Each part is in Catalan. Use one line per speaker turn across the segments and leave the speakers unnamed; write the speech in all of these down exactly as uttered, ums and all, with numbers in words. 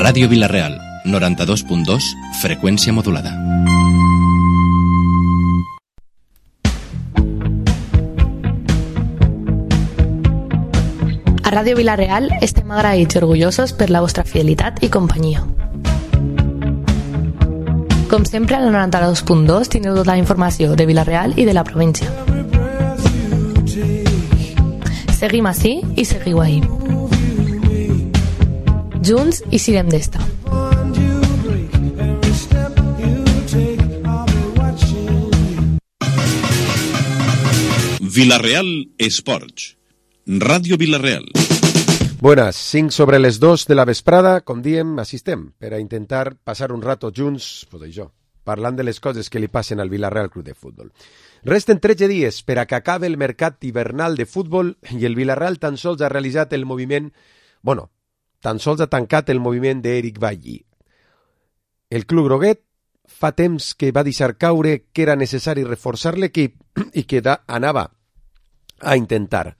Ràdio Vila-real, noranta-dos punt dos, freqüència modulada.
A Ràdio Vila-real estem agraïts i orgullosos per la vostra fidelitat i companyia. Com sempre, al noranta-dos punt dos teniu tota la informació de Vila-real i de la província. Seguim ací i seguiu ahí. Junts i sirem d'esta.
Vila-real Esports. Ràdio Vila-real.
Buenas, cinc sobre les dos de la vesprada, com diem, assistem per a intentar passar un rato junts, pues això, parlant de les coses que li passen al Vila-real Club de Futbol. Resten tretze dies per a que acabe el mercat hivernal de futbol i el Vila-real tan sols ha realitzat el moviment, bueno, tan sols ha tancat el moviment d'Eric Bailly. El club groguet fa temps que va deixar caure que era necessari reforçar l'equip i que da, anava a intentar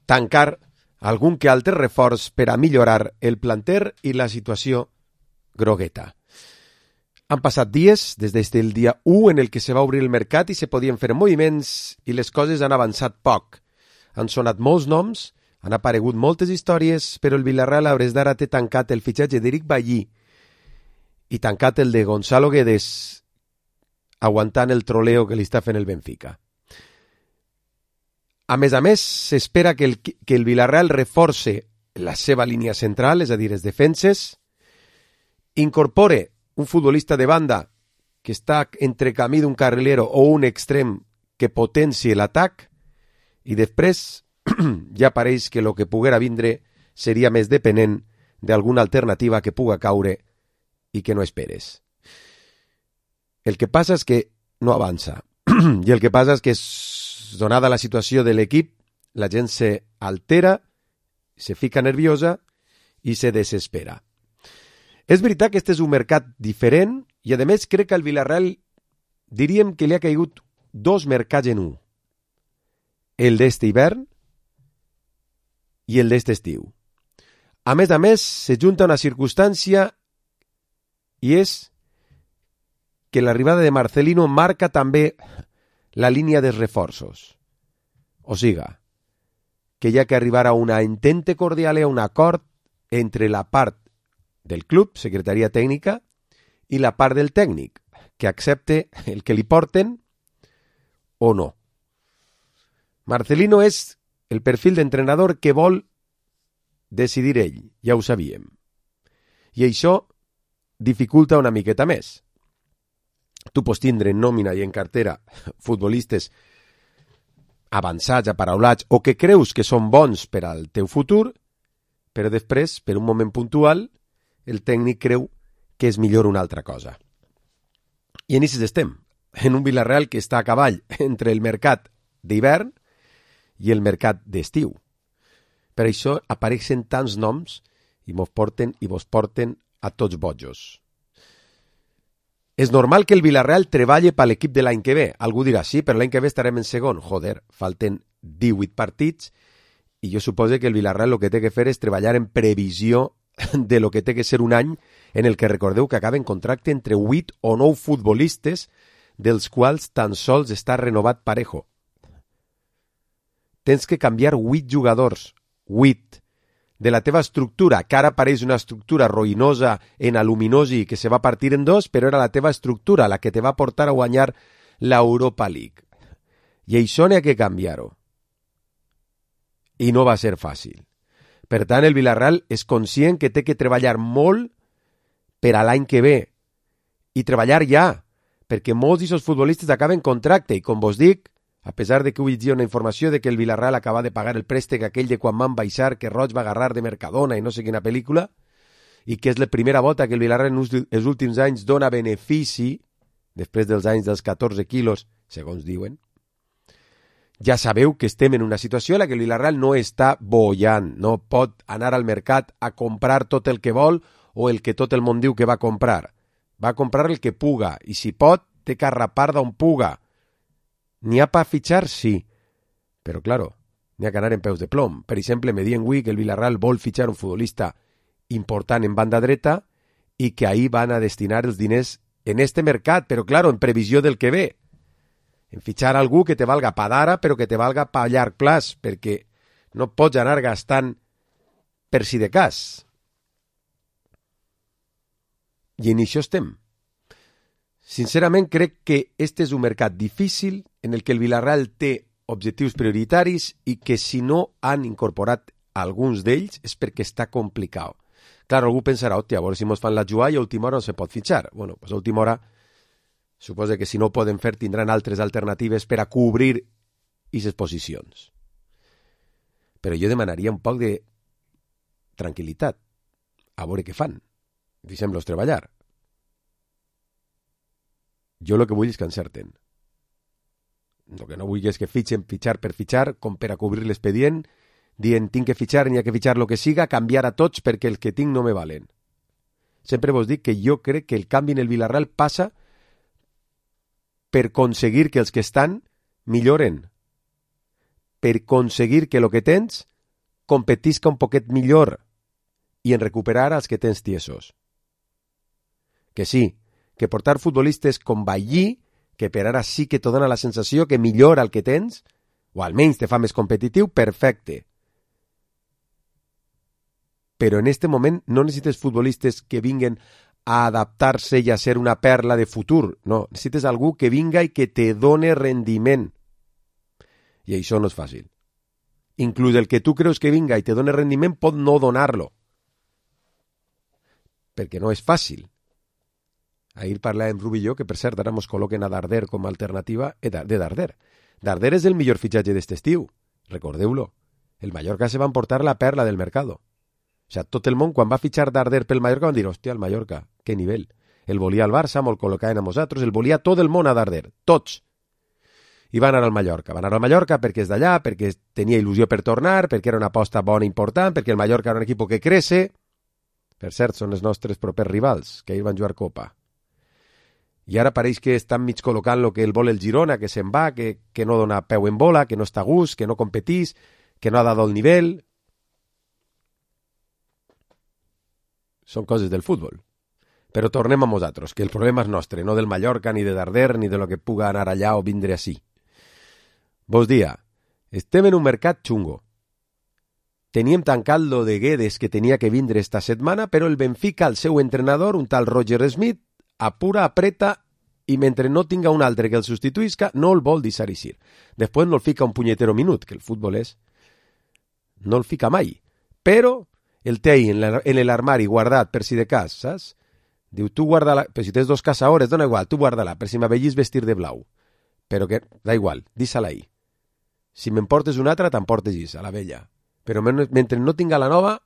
tancar algun que altre reforç per a millorar el planter i la situació grogueta. Han passat dies des del dia u en el que se va obrir el mercat i se podien fer moviments i les coses han avançat poc. Han sonat molts noms, han aparegut moltes històries, però el Vila-real a hores d'ara té tancat el fitxatge d'Eric Bailly i tancat el de Gonzalo Guedes, aguantant el troleo que li està fent el Benfica. A més a més, s'espera que el, que el Vila-real reforce la seva línia central, és a dir, les defenses, incorpore un futbolista de banda que està entre camí d'un carrilero o un extrem que potencie l'atac i després ja pareix que el que poguera vindre seria més depenent d'alguna alternativa que puga caure i que no esperes. El que passa és que no avança i el que passa és que donada la situació de l'equip, la gent se altera, se fica nerviosa i se desespera. És veritat que este és un mercat diferent i, a més, crec que al Vila-real diríem que li ha caigut dos mercats en un. El d'este hivern i el d'este estiu. A més a més, se junta una circumstància i és que l'arribada de Marcelino marca també la línia dels reforços. O siga, que hi ha que arribar a una entente cordial i a un acord entre la part del club, secretaria tècnica, i la part del tècnic, que accepte el que li porten o no. Marcelino és el perfil d'entrenador que vol decidir ell, ja ho sabíem. I això dificulta una miqueta més. Tu pots tindre en nòmina i en cartera futbolistes avançats, aparaulats, o que creus que són bons per al teu futur, però després, per un moment puntual, el tècnic creu que és millor una altra cosa. I en aquests estem, en un Vila-real que està a cavall entre el mercat d'hivern i el mercat d'estiu. Per això apareixen tants noms i mos porten i vos porten a tots bojos. És normal que el Vila-real treballi per l'equip de l'any que ve. Algú dirà, sí, però l'any que ve estarem en segon. Joder, falten divuit partits i jo suposo que el Vila-real el que té que fer és treballar en previsió de lo que té que ser un any en el que recordeu que acaba en contracte entre vuit o nou futbolistes, dels quals tan sols està renovat Parejo. Tens que canviar vuit jugadors, vuit, de la teva estructura, que ara pareix una estructura ruïnosa en aluminosi que se va partir en dos, però era la teva estructura la que te va portar a guanyar l'Europa League. I això n'hi ha que canviar-ho. I no va ser fàcil. Per tant, el Vila-real és conscient que té que treballar molt per a l'any que ve. I treballar ja, perquè molts d'aquests futbolistes acaben contracte. I com vos dic, a pesar de que avui hi ha una informació de que el Vila-real acaba de pagar el préstec aquell de quan van baixar, que Roig va agarrar de Mercadona i no sé quina pel·lícula, i que és la primera volta que el Vila-real en els últims anys dona benefici, després dels anys dels catorze quilos, segons diuen, ja sabeu que estem en una situació en la que el Vila-real no està bollant, no pot anar al mercat a comprar tot el que vol o el que tot el món diu que va comprar. Va comprar el que puga, i si pot, té que arrapar d'on puga. N'hi ha per fitxar, sí, però, claro, n'hi ha que anar en peus de plom. Per exemple, me diuen avui que el Vila-real vol fitxar un futbolista important en banda dreta i que ahir van a destinar els diners en este mercat, però, claro, en previsió del que ve. En fitxar algú que te valga pa d'ara, però que te valga pa llarg plaç, perquè no pots anar gastant per si de cas. I en això estem. Sincerament, crec que este és un mercat difícil en el que el Villarreal té objectius prioritaris i que si no han incorporat alguns d'ells és perquè està complicat. Clar, algú pensarà, hòstia, a veure si mos fan la jugada i a última hora no se pot fitxar. Bueno, pues a última hora suposa que si no ho poden fer tindran altres alternatives per a cobrir aquestes posicions. Però jo demanaria un poc de tranquil·litat, a veure què fan. Deixem-los treballar. Jo el que vull és que encerten. El que no vull és que fitxen, fitxar per fitxar, com per a cobrir l'expedient, dient, tinc que fitxar, n'hi ha que fitxar el que siga, canviar a tots perquè els que tinc no me valen. Sempre vos dic que jo crec que el canvi en el Villarreal passa per aconseguir que els que estan milloren, per aconseguir que el que tens competisca un poquet millor i en recuperar els que tens tiesos. Que sí, que portar futbolistes com Ballí, que per ara sí que te dona la sensació que millora el que tens, o almenys te fa més competitiu, perfecte. Però en este moment no necessites futbolistes que vinguen a adaptar-se i a ser una perla de futur. No, necessites algú que vinga i que te done rendiment. I això no és fàcil. Inclús el que tu creus que vinga i te done rendiment pot no donar-lo. Perquè no és fàcil. Ahir parlàvem Rubi i jo que, per cert, ara mos col·loquen a Darder com a alternativa de Darder. Darder és el millor fitxatge d'este estiu. Recordeu-lo. El Mallorca se va emportar la perla del mercado. O sigui, tot el món, quan va fitxar Darder pel Mallorca, van dir, hòstia, el Mallorca, que nivell. El volia al Barça, molt col·locaven a nosaltres, el volia tot el món a Darder, tots. I van anar al Mallorca. Van anar al Mallorca perquè és d'allà, perquè tenia il·lusió per tornar, perquè era una aposta bona i important, perquè el Mallorca era un equip que crece. Per cert, són els nostres propers rivals, que ahir van jugar Copa. I ara pareix que estan mig col·locant el que el vol el Girona, que se'n va, que, que no dona peu en bola, que no està a gust, que no competís, que no ha dado el nivell. Són coses del futbol. Però tornem a nosaltres, que el problema és nostre, no del Mallorca, ni de Darder, ni de lo que puga anar allà o vindre així. Vos dia, estem en un mercat xungo. Teníem tancat lo de Guedes que tenia que vindre esta setmana, però el Benfica, el seu entrenador, un tal Roger Smith, apura, apreta, i mentre no tinga un altre que el substituïsca, no el vol deixar eixir. Després no el fica un punyetero minut, que el futbol és... No el fica mai. Però el té ahí en l'armari guardat per si de cas, saps? Diu, tu guarda-la, però si tens dos caçadores, dona igual, tu guarda-la, per si m'avellís vestir de blau. Però que, da igual, deixa-la ahí. Si m'emportes una altra, t'emportes isa, la vella. Però mentre no tinga la nova,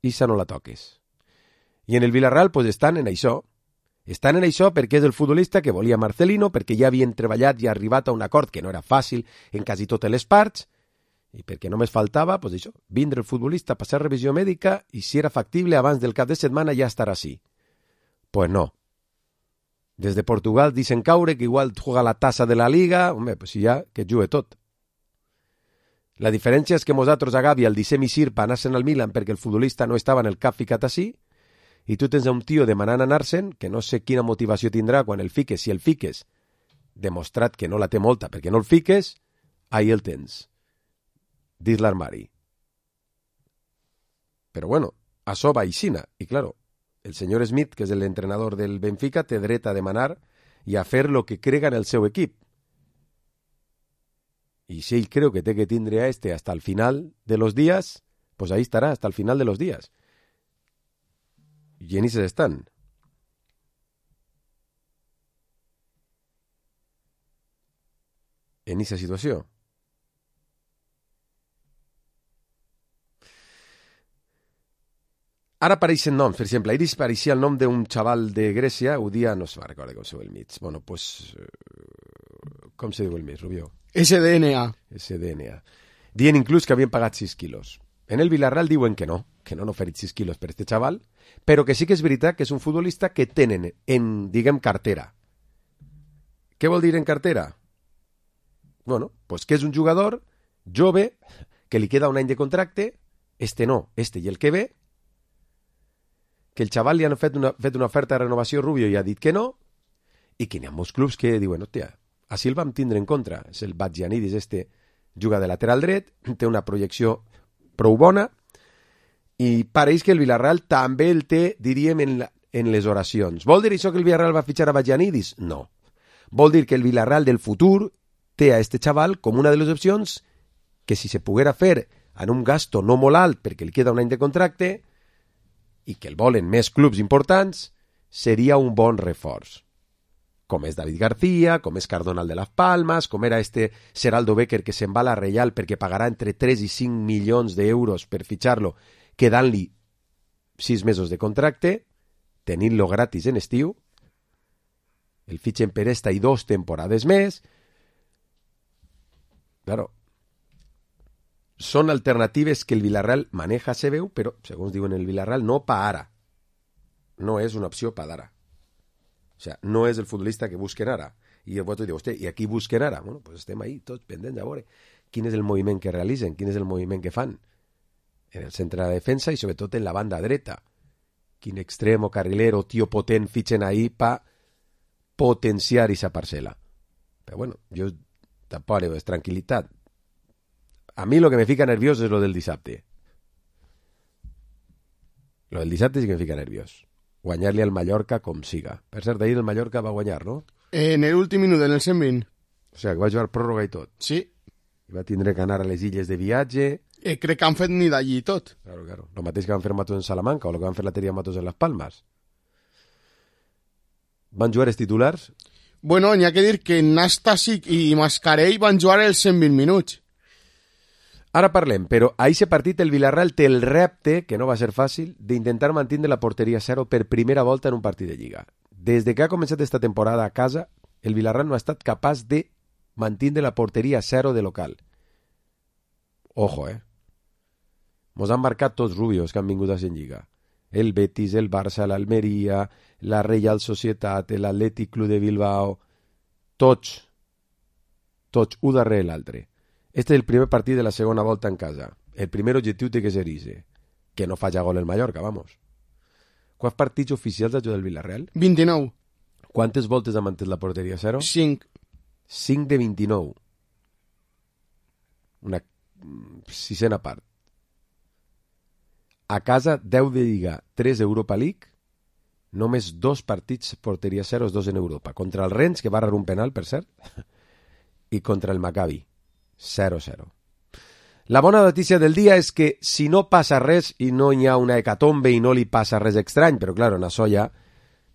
isa no la toques. I en el Villarreal, pues, estan en això. Estan en això perquè és el futbolista que volia Marcelino, perquè ja havien treballat i arribat a un acord que no era fàcil en quasi totes les parts, i perquè només faltava, pues això, vindre el futbolista, passar revisió mèdica i si era factible abans del cap de setmana ja estarà així. Pues no. Des de Portugal dicen caure que igual juega la tassa de la Liga, home, pues ja que jugue tot. La diferència és que nosaltres a Gavi el deixem eixir per anar-se'n al Milan perquè el futbolista no estava en el cap ficat així, i tu tens un tio demanant anar-se'n que no sé quina motivació tindrà quan el fiques, si el fiques, demostrat que no la té molta perquè no el fiques, ahí el tens. Dins l'armari. Però bueno, això va aixina. I claro, el senyor Smith, que és l'entrenador del Benfica, té dret a demanar i a fer lo que crega en el seu equip. I si ell creu que té que tindre a este hasta el final de los días, pues ahí estarà, hasta el final de los días. I en ixes estan. En ixa situació. Ara apareixen noms, per exemple, ahir apareixia el nom d'un xaval de Grècia, un dia no se va recordar com se diu el mig. Bueno, pues, com se diu el mig, Rubió?
S D N A.
S D N A. Dien inclús que havien pagat sis quilos. En el Villarreal diuen que no, que no han oferit sis quilos per este xaval, però que sí que és veritat que és un futbolista que tenen en, diguem, cartera. Què vol dir en cartera? Bueno, pues que és un jugador jove, que li queda un any de contracte, este no, este i el que ve, que el xaval li han fet una, fet una oferta de renovació a Rubio i ha dit que no, i que n'hi ha molts clubs que diuen, hòstia, així el vam tindre en contra. És el Bagianidis, este juga de lateral dret, té una projecció prou bona, i pareix que el Villarreal també el té, diríem, en, la, en les oracions. Vol dir això que el Villarreal va fitxar a Bagianidis? No. Vol dir que el Villarreal del futur té a este xaval com una de les opcions que si se poguera fer en un gasto no molt alt perquè li queda un any de contracte i que el volen més clubs importants, seria un bon reforç. Com és David García, com és Cardonal de Las Palmas, com era este Seraldo Becker que se'n va a la Reial perquè pagarà entre tres i cinc milions d'euros per fitxar-lo, quedant-li sis mesos de contracte, tenint-lo gratis en estiu, el fitxen per esta i dos temporades més. Claro, són alternatives que el Villarreal maneja, se veu, però, segons diuen el Villarreal, no pa ara. No és una opció pa d'ara. O sea, no és el futbolista que busquen ara. I el vosaltres diu, hosti, i aquí busquen ara? Bueno, pues estem ahí, tots pendents a veure quin és el moviment que realitzen, quin és el moviment que fan en el centre de la defensa i sobretot en la banda dreta. Quin extrem o carriler o tio potent fitxen ahí pa potenciar esa parcel·la. Però bueno, jo tampoc le veig tranquil·litat. A mi lo que me fica nerviós és lo del dissabte. Lo del dissabte sí que me fica nerviós. Guanyar-li al Mallorca com siga. Per cert, ahir el Mallorca va guanyar, no?
En el últim minut, en el cent vint.
O sigui, que va jugar pròrroga i tot.
Sí.
I va tindre que anar a les illes de viatge.
Eh, crec que han fet ni d'allí tot.
Claro, claro. Lo mateix que van fer Matos en Salamanca o lo que van fer la Teria Matos en Las Palmas. Van jugar els titulars?
Bueno, n'hi ha que dir que Nastasic i Mascarell van jugar els cent vint minuts.
Ara parlem, però a aquest partit el Villarreal té el repte, que no va ser fàcil, d'intentar mantenir la porteria zero per primera volta en un partit de Lliga. Des de que ha començat esta temporada a casa, el Villarreal no ha estat capaç de mantenir la porteria zero de local. Ojo, eh? Mos han marcat tots rubios que han vingut a ser en Lliga. El Betis, el Barça, l'Almeria, la Real Societat, l'Atlètic Club de Bilbao, tots, tots, un darrere l'altre. Este és el primer partit de la segona volta en casa. El primer objectiu té que ser ese. Que no falla gol el Mallorca, vamos. Quants partits oficials ha jugat el Villarreal?
vint-i-nou.
Quantes voltes ha mantès la porteria zero?
cinc.
cinc de vint-i-nou. Una sisena part. A casa, deu de Lliga, tres Europa League, només dos partits porteria zero, dos en Europa. Contra el Rennes, que va rebre un penal, per cert, i contra el Maccabi. zero zero. La bona notícia del dia és que si no passa res i no hi ha una hecatombe i no li passa res estrany, però clar, en això ja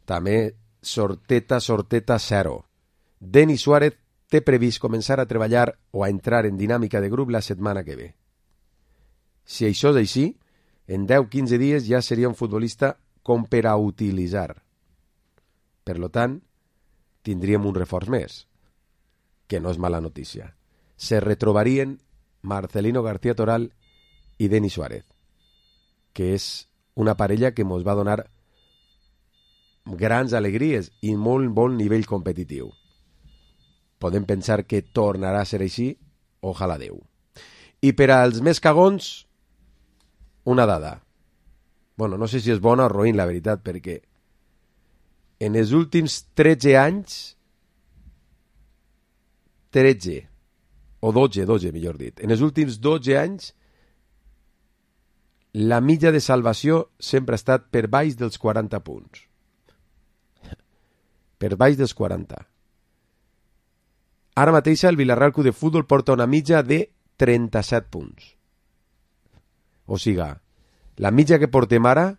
també sorteta, sorteta zero. Denis Suárez té previst començar a treballar o a entrar en dinàmica de grup la setmana que ve. Si això és així, en deu a quinze dies ja seria un futbolista com per a utilitzar. Per tant, tindríem un reforç més, que no és mala notícia. Se retrobarien Marcelino García Toral i Denis Suárez, que és una parella que ens va donar grans alegries i molt bon nivell competitiu. Podem pensar que tornarà a ser així, ojalà Déu. I per als més cagons, una dada. Bueno, no sé si és bona o roïn, la veritat, perquè en els últims tretze anys, tretze, o dotze, dotze, millor dit. En els últims dotze anys, la mitja de salvació sempre ha estat per baix dels quaranta punts. Per baix dels quaranta. Ara mateix el Villarreal Club de Futbol porta una mitja de trenta-set punts. O sigui, la mitja que portem ara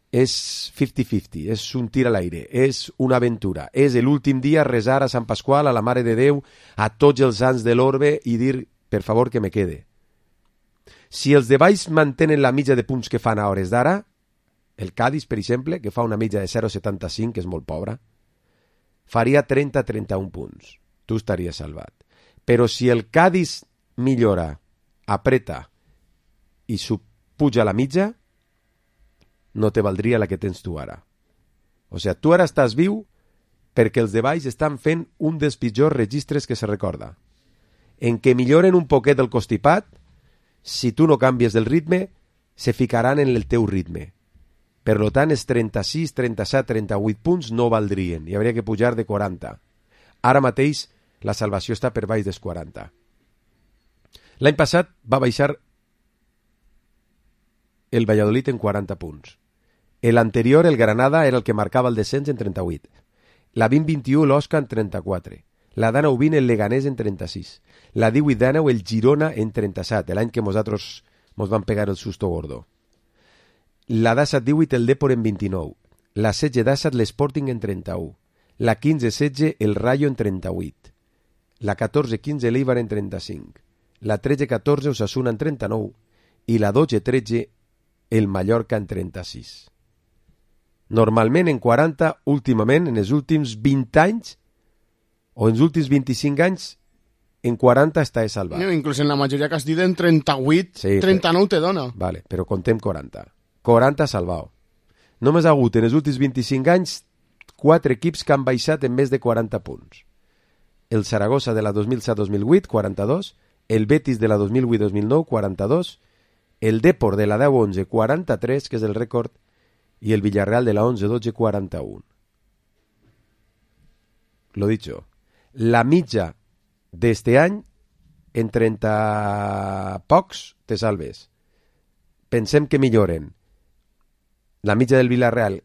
és cinquanta cinquanta, és un tir a l'aire, és una aventura, és l'últim dia resar a Sant Pasqual, a la Mare de Déu, a tots els sants de l'orbe i dir, per favor, que me quede. Si els de baix mantenen la mitja de punts que fan a hores d'ara, el Cádiz, per exemple, que fa una mitja de zero coma setanta-cinc, que és molt pobra, faria trenta a trenta-un punts. Tu estaries salvat. Però si el Cádiz millora, apreta i puja la mitja, no te valdria la que tens tu ara. O sigui, tu ara estàs viu perquè els de baix estan fent un dels pitjors registres que se recorda. En què milloren un poquet el constipat, si tu no canvies del ritme, se ficaran en el teu ritme. Per tant, els trenta-sis, trenta-set, trenta-vuit punts no valdrien i hauria que pujar de quaranta. Ara mateix la salvació està per baix dels quaranta. L'any passat va baixar el Valladolid en quaranta punts. L'anterior, el Granada, era el que marcava el descens en trenta-vuit. La vint vint u, l'Osca, en trenta-quatre. La dinou vint, el Leganés, en trenta-sis. La divuit dinou, el Girona, en trenta-set, l'any que nosaltres mos van pegar el susto gordo. La disset divuit, el Depor, en vint-i-nou. La setze disset, l'Sporting, en trenta-u. La quinze setze, el Rayo, en trenta-vuit. La catorze quinze, l'Eibar, en trenta-cinc. La tretze catorze, Osasuna, en trenta-nou. I la dotze tretze, el Mallorca, en trenta-sis. Normalment en quaranta, últimament, en els últims vint anys, o en els últims vint-i-cinc anys, en quaranta està salvat.
No, inclús en la majoria que has dit en trenta-vuit, sí, trenta-nou te dona.
Vale, però contem quaranta. quaranta salvat. Només ha hagut en els últims vint-i-cinc anys quatre equips que han baixat en més de quaranta punts. El Saragossa de la dos mil set dos mil vuit, quaranta-dos, el Betis de la dos mil vuit dos mil nou, quaranta-dos, el Depor de la deu onze, quaranta-tres, que és el rècord, i el Villarreal de la onze dotze, quaranta-un. Lo dicho, la mitja d'este any, en trenta pocs, te salves. Pensem que milloren. La mitja del Villarreal,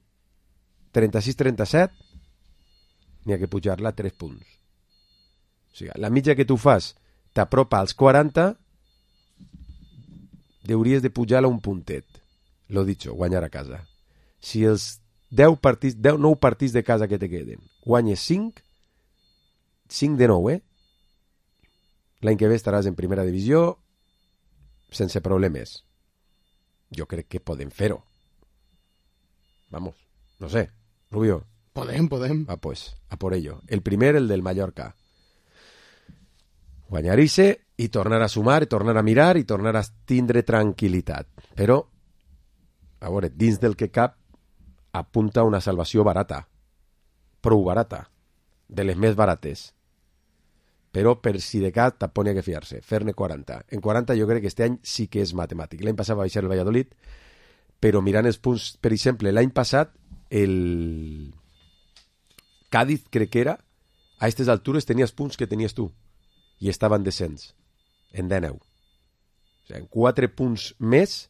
trenta-sis trenta-set, n'hi ha que pujar-la a tres punts. O sigui, la mitja que tu fas t'apropa als quaranta, hauries de pujar-la un puntet. Lo dicho, guanyar a casa. Si els deu partits, deu, nou partits de casa que te queden, guanyes cinc, cinc de nou, eh? L'any que ve estaràs en primera divisió sense problemes. Jo crec que podem fer-ho. Vamos, no sé, Rubio.
Podem, podem.
Ah, pues, a por ello. El primer, el del Mallorca. Guanyar-se i tornar a sumar, i tornar a mirar, i tornar a tindre tranquil·litat. Però, a veure, dins del que cap, apunta una salvació barata. Prou barata. De les més barates. Però per si de cas tampoc n'hi ha que fiar-se. Fer-ne quaranta. En quaranta jo crec que este any sí que és matemàtic. L'any passat va baixar el Valladolid, però mirant els punts, per exemple, l'any passat el Cádiz, crec que era, a aquestes altures tenies punts que tenies tu i estava en descens, en dinou. O sigui, en quatre punts més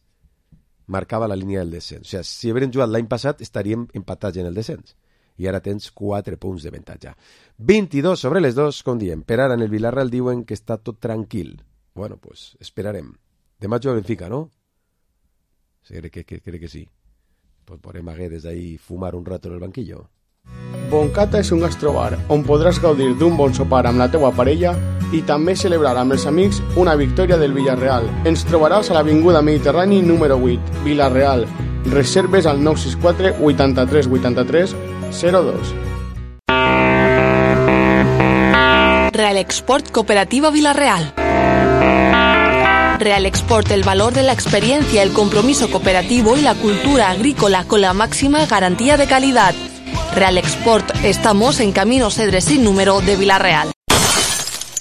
marcava la línia del descens. O sigui, si haguéssim jugat l'any passat estaríem empatats en el descens. I ara tens quatre punts de avantatge. vint-i-dos sobre les dos, com diem. Per ara en el Villarreal diuen que està tot tranquil. Bueno, pues esperarem. Demà juga Benfica, no? Sí, crec que, que, crec que sí. Pues podrem haver des d'ahí fumar un rato en el banquillo.
Boncata és un gastrobar on podràs gaudir d'un bon sopar amb la teua parella i també celebrar amb els amics una victòria del Villarreal. Ens trobaràs a l'Avinguda Mediterrani número vuit, Villarreal. Reserves al nou sis quatre vuitanta-tres vuitanta-tres zero dos.
Real Export Cooperativa Villarreal. Real Export, el valor de la experiencia, el compromiso cooperativo y la cultura agrícola con la máxima garantía de calidad. Real Export, estamos en Camino Cedres sin número de Villarreal.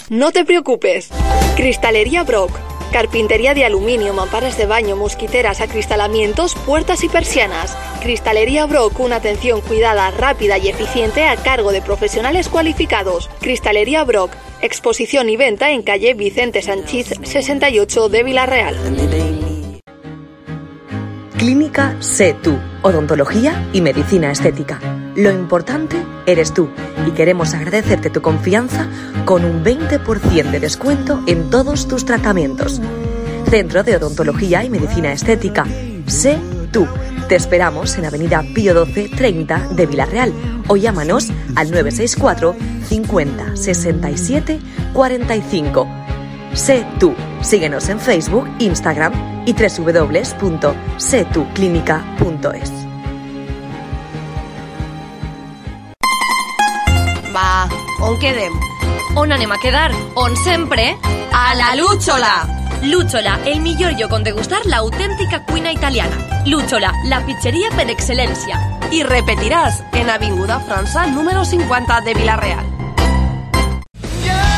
No te preocupes. Cristalería Brock. Carpintería de aluminio, mamparas de baño, mosquiteras, acristalamientos, puertas y persianas. Cristalería Brock, una atención cuidada, rápida y eficiente a cargo de profesionales cualificados. Cristalería Brock, exposición y venta en calle Vicente Sanchís sesenta y ocho de Villarreal.
Clínica Sé Tú, odontología y medicina estética. Lo importante eres tú y queremos agradecerte tu confianza con un veinte por ciento de descuento en todos tus tratamientos. Centro de Odontología y Medicina Estética. Sé Tú. Te esperamos en Avenida Pío doce treinta de Villarreal o llámanos al nueve seis cuatro cincuenta sesenta y siete cuarenta y cinco. Sé Tú. Síguenos en Facebook, Instagram y doble u doble u doble u punto sé tú clínica punto es.
Va, on quedem? On anem a quedar? On sempre? A la Lúchola! Lúchola, el millor lloc on degustar l'autèntica cuina italiana. Lúchola, la pizzeria per excel·lència. I repetiràs en Avinguda França número cinquanta de Villarreal.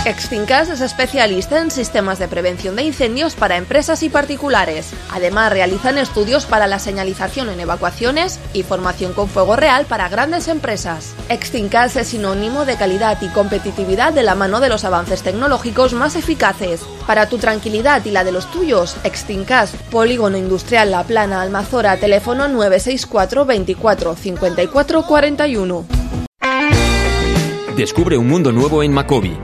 Extincas es especialista en sistemas de prevención de incendios para empresas y particulares. Además, realizan estudios para la señalización en evacuaciones y formación con fuego real para grandes empresas. Extincas es sinónimo de calidad y competitividad de la mano de los avances tecnológicos más eficaces. Para tu tranquilidad y la de los tuyos, Extincas, Polígono Industrial La Plana, Almazora, teléfono nueve seis cuatro veinticuatro cincuenta y cuatro cuarenta y uno.
Descubre un mundo nuevo en Macobi.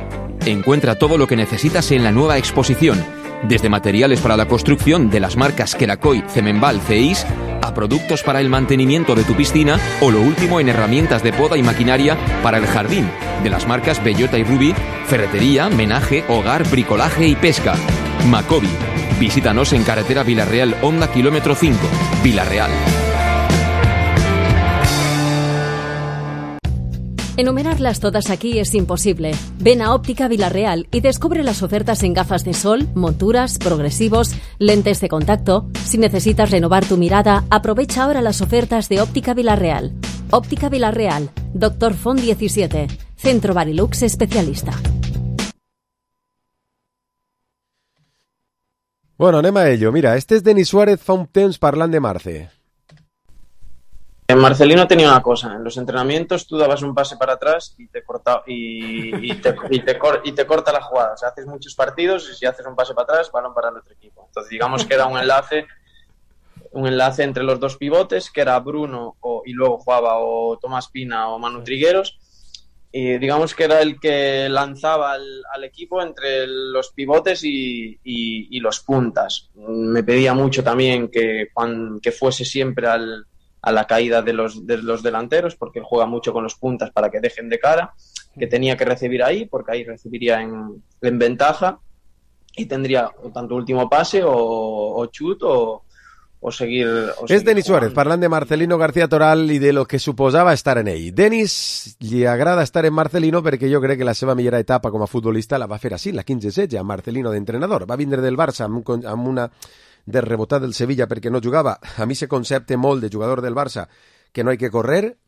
Encuentra todo lo que necesitas en la nueva exposición, desde materiales para la construcción de las marcas Kerakoy, Cemenbal, Ceis, a productos para el mantenimiento de tu piscina o lo último en herramientas de poda y maquinaria para el jardín, de las marcas Bellota y Ruby, ferretería, menaje, hogar, bricolaje y pesca. Macobi. Visítanos en carretera Villarreal Honda kilómetro cinco, Villarreal.
Enumerarlas todas aquí es imposible. Ven a Óptica Villarreal y descubre las ofertas en gafas de sol, monturas, progresivos, lentes de contacto. Si necesitas renovar tu mirada, aprovecha ahora las ofertas de Óptica Villarreal. Óptica Villarreal, Doctor Font diecisiete, Centro Barilux especialista.
Bueno, anem a ello. Mira, este es Denis Suárez fa un temps parlant de Marce.
Marcelino tenía una cosa, en los entrenamientos tú dabas un pase para atrás y te corta, y, y, te, y, te, y te corta la jugada. O sea, haces muchos partidos y si haces un pase para atrás, balón para el otro equipo. Entonces digamos que era un enlace un enlace entre los dos pivotes, que era Bruno o, y luego jugaba o Tomás Pina o Manu Trigueros, y digamos que era el que lanzaba al, al equipo entre los pivotes y, y, y los puntas. Me pedía mucho también que, que fuese siempre al a la caída de los, de los delanteros, porque él juega mucho con los puntas para que dejen de cara, que tenía que recibir ahí, porque ahí recibiría en, en ventaja y tendría o tanto último pase o, o chut o, o seguir... O
és Denis Suárez, parlant de Marcelino García Toral i de lo que suposava estar en ell. Denis li agrada estar en Marcelino perquè jo crec que la seva millor etapa com a futbolista la va fer així, la quinze setze, amb Marcelino d'entrenador. Va vindre del Barça amb, un, amb una... de rebotar del Sevilla perquè no jugava. A mi se concepte molt de jugador del Barça que no hay que correr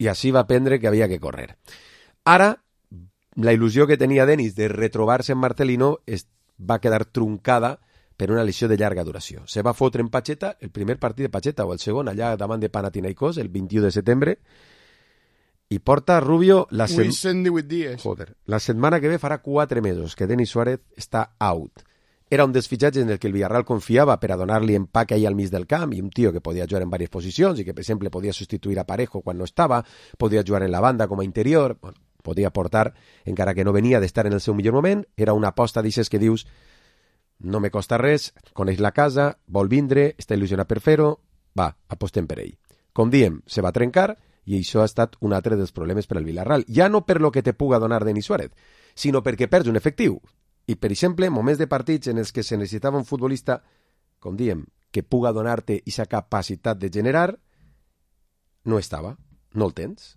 i així va aprendre que havia que correr. Ara, la il·lusió que tenia Denis de retrobar-se en Marcelino es va quedar truncada per una lesió de llarga duració. Se va fotre en Pacheta, el primer partit de Pacheta o el segon, allà davant de Panathinaikos, el vint-i-u de setembre, i porta Rubio la, sem... Joder, la setmana que ve farà quatre mesos que Denis Suárez està out. Era un dels fitxatges en el que el Villarreal confiava per a donar-li empaque ahí al mig del camp, i un tio que podia jugar en diverses posicions i que, per exemple, podia substituir a Parejo quan no estava, podia jugar en la banda com a interior, bueno, podia aportar, encara que no venia d'estar en el seu millor moment. Era una aposta d'aixes que dius no me costa res, coneix la casa, vol vindre, està il·lusionat per fer-ho, va, apostem per ell. Com diem, se va trencar i això ha estat un altre dels problemes per al Villarreal. Ja no per lo que te puga donar Denis Suárez, sinó perquè perds un efectiu. I, per exemple, moments de partits en els que se necessitava un futbolista, com diem, que puga donar-te aquesta capacitat de generar, no estava, no el tens.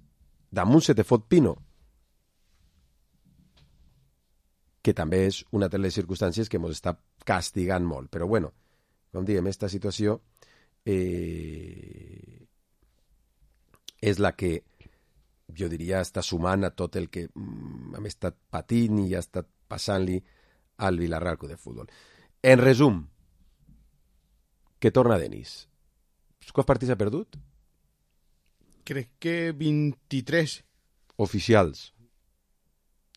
Damunt se te fot Pino, que també és una de les circumstàncies que ens està castigant molt. Però, bueno, com diem, aquesta situació eh, és la que, jo diria, està sumant a tot el que mm, hem estat patint i ha estat passant-li al Villarreal Club de Futbol. En resum, que torna Denis. Quants partits ha perdut?
Crec que vint-i-tres.
Oficials.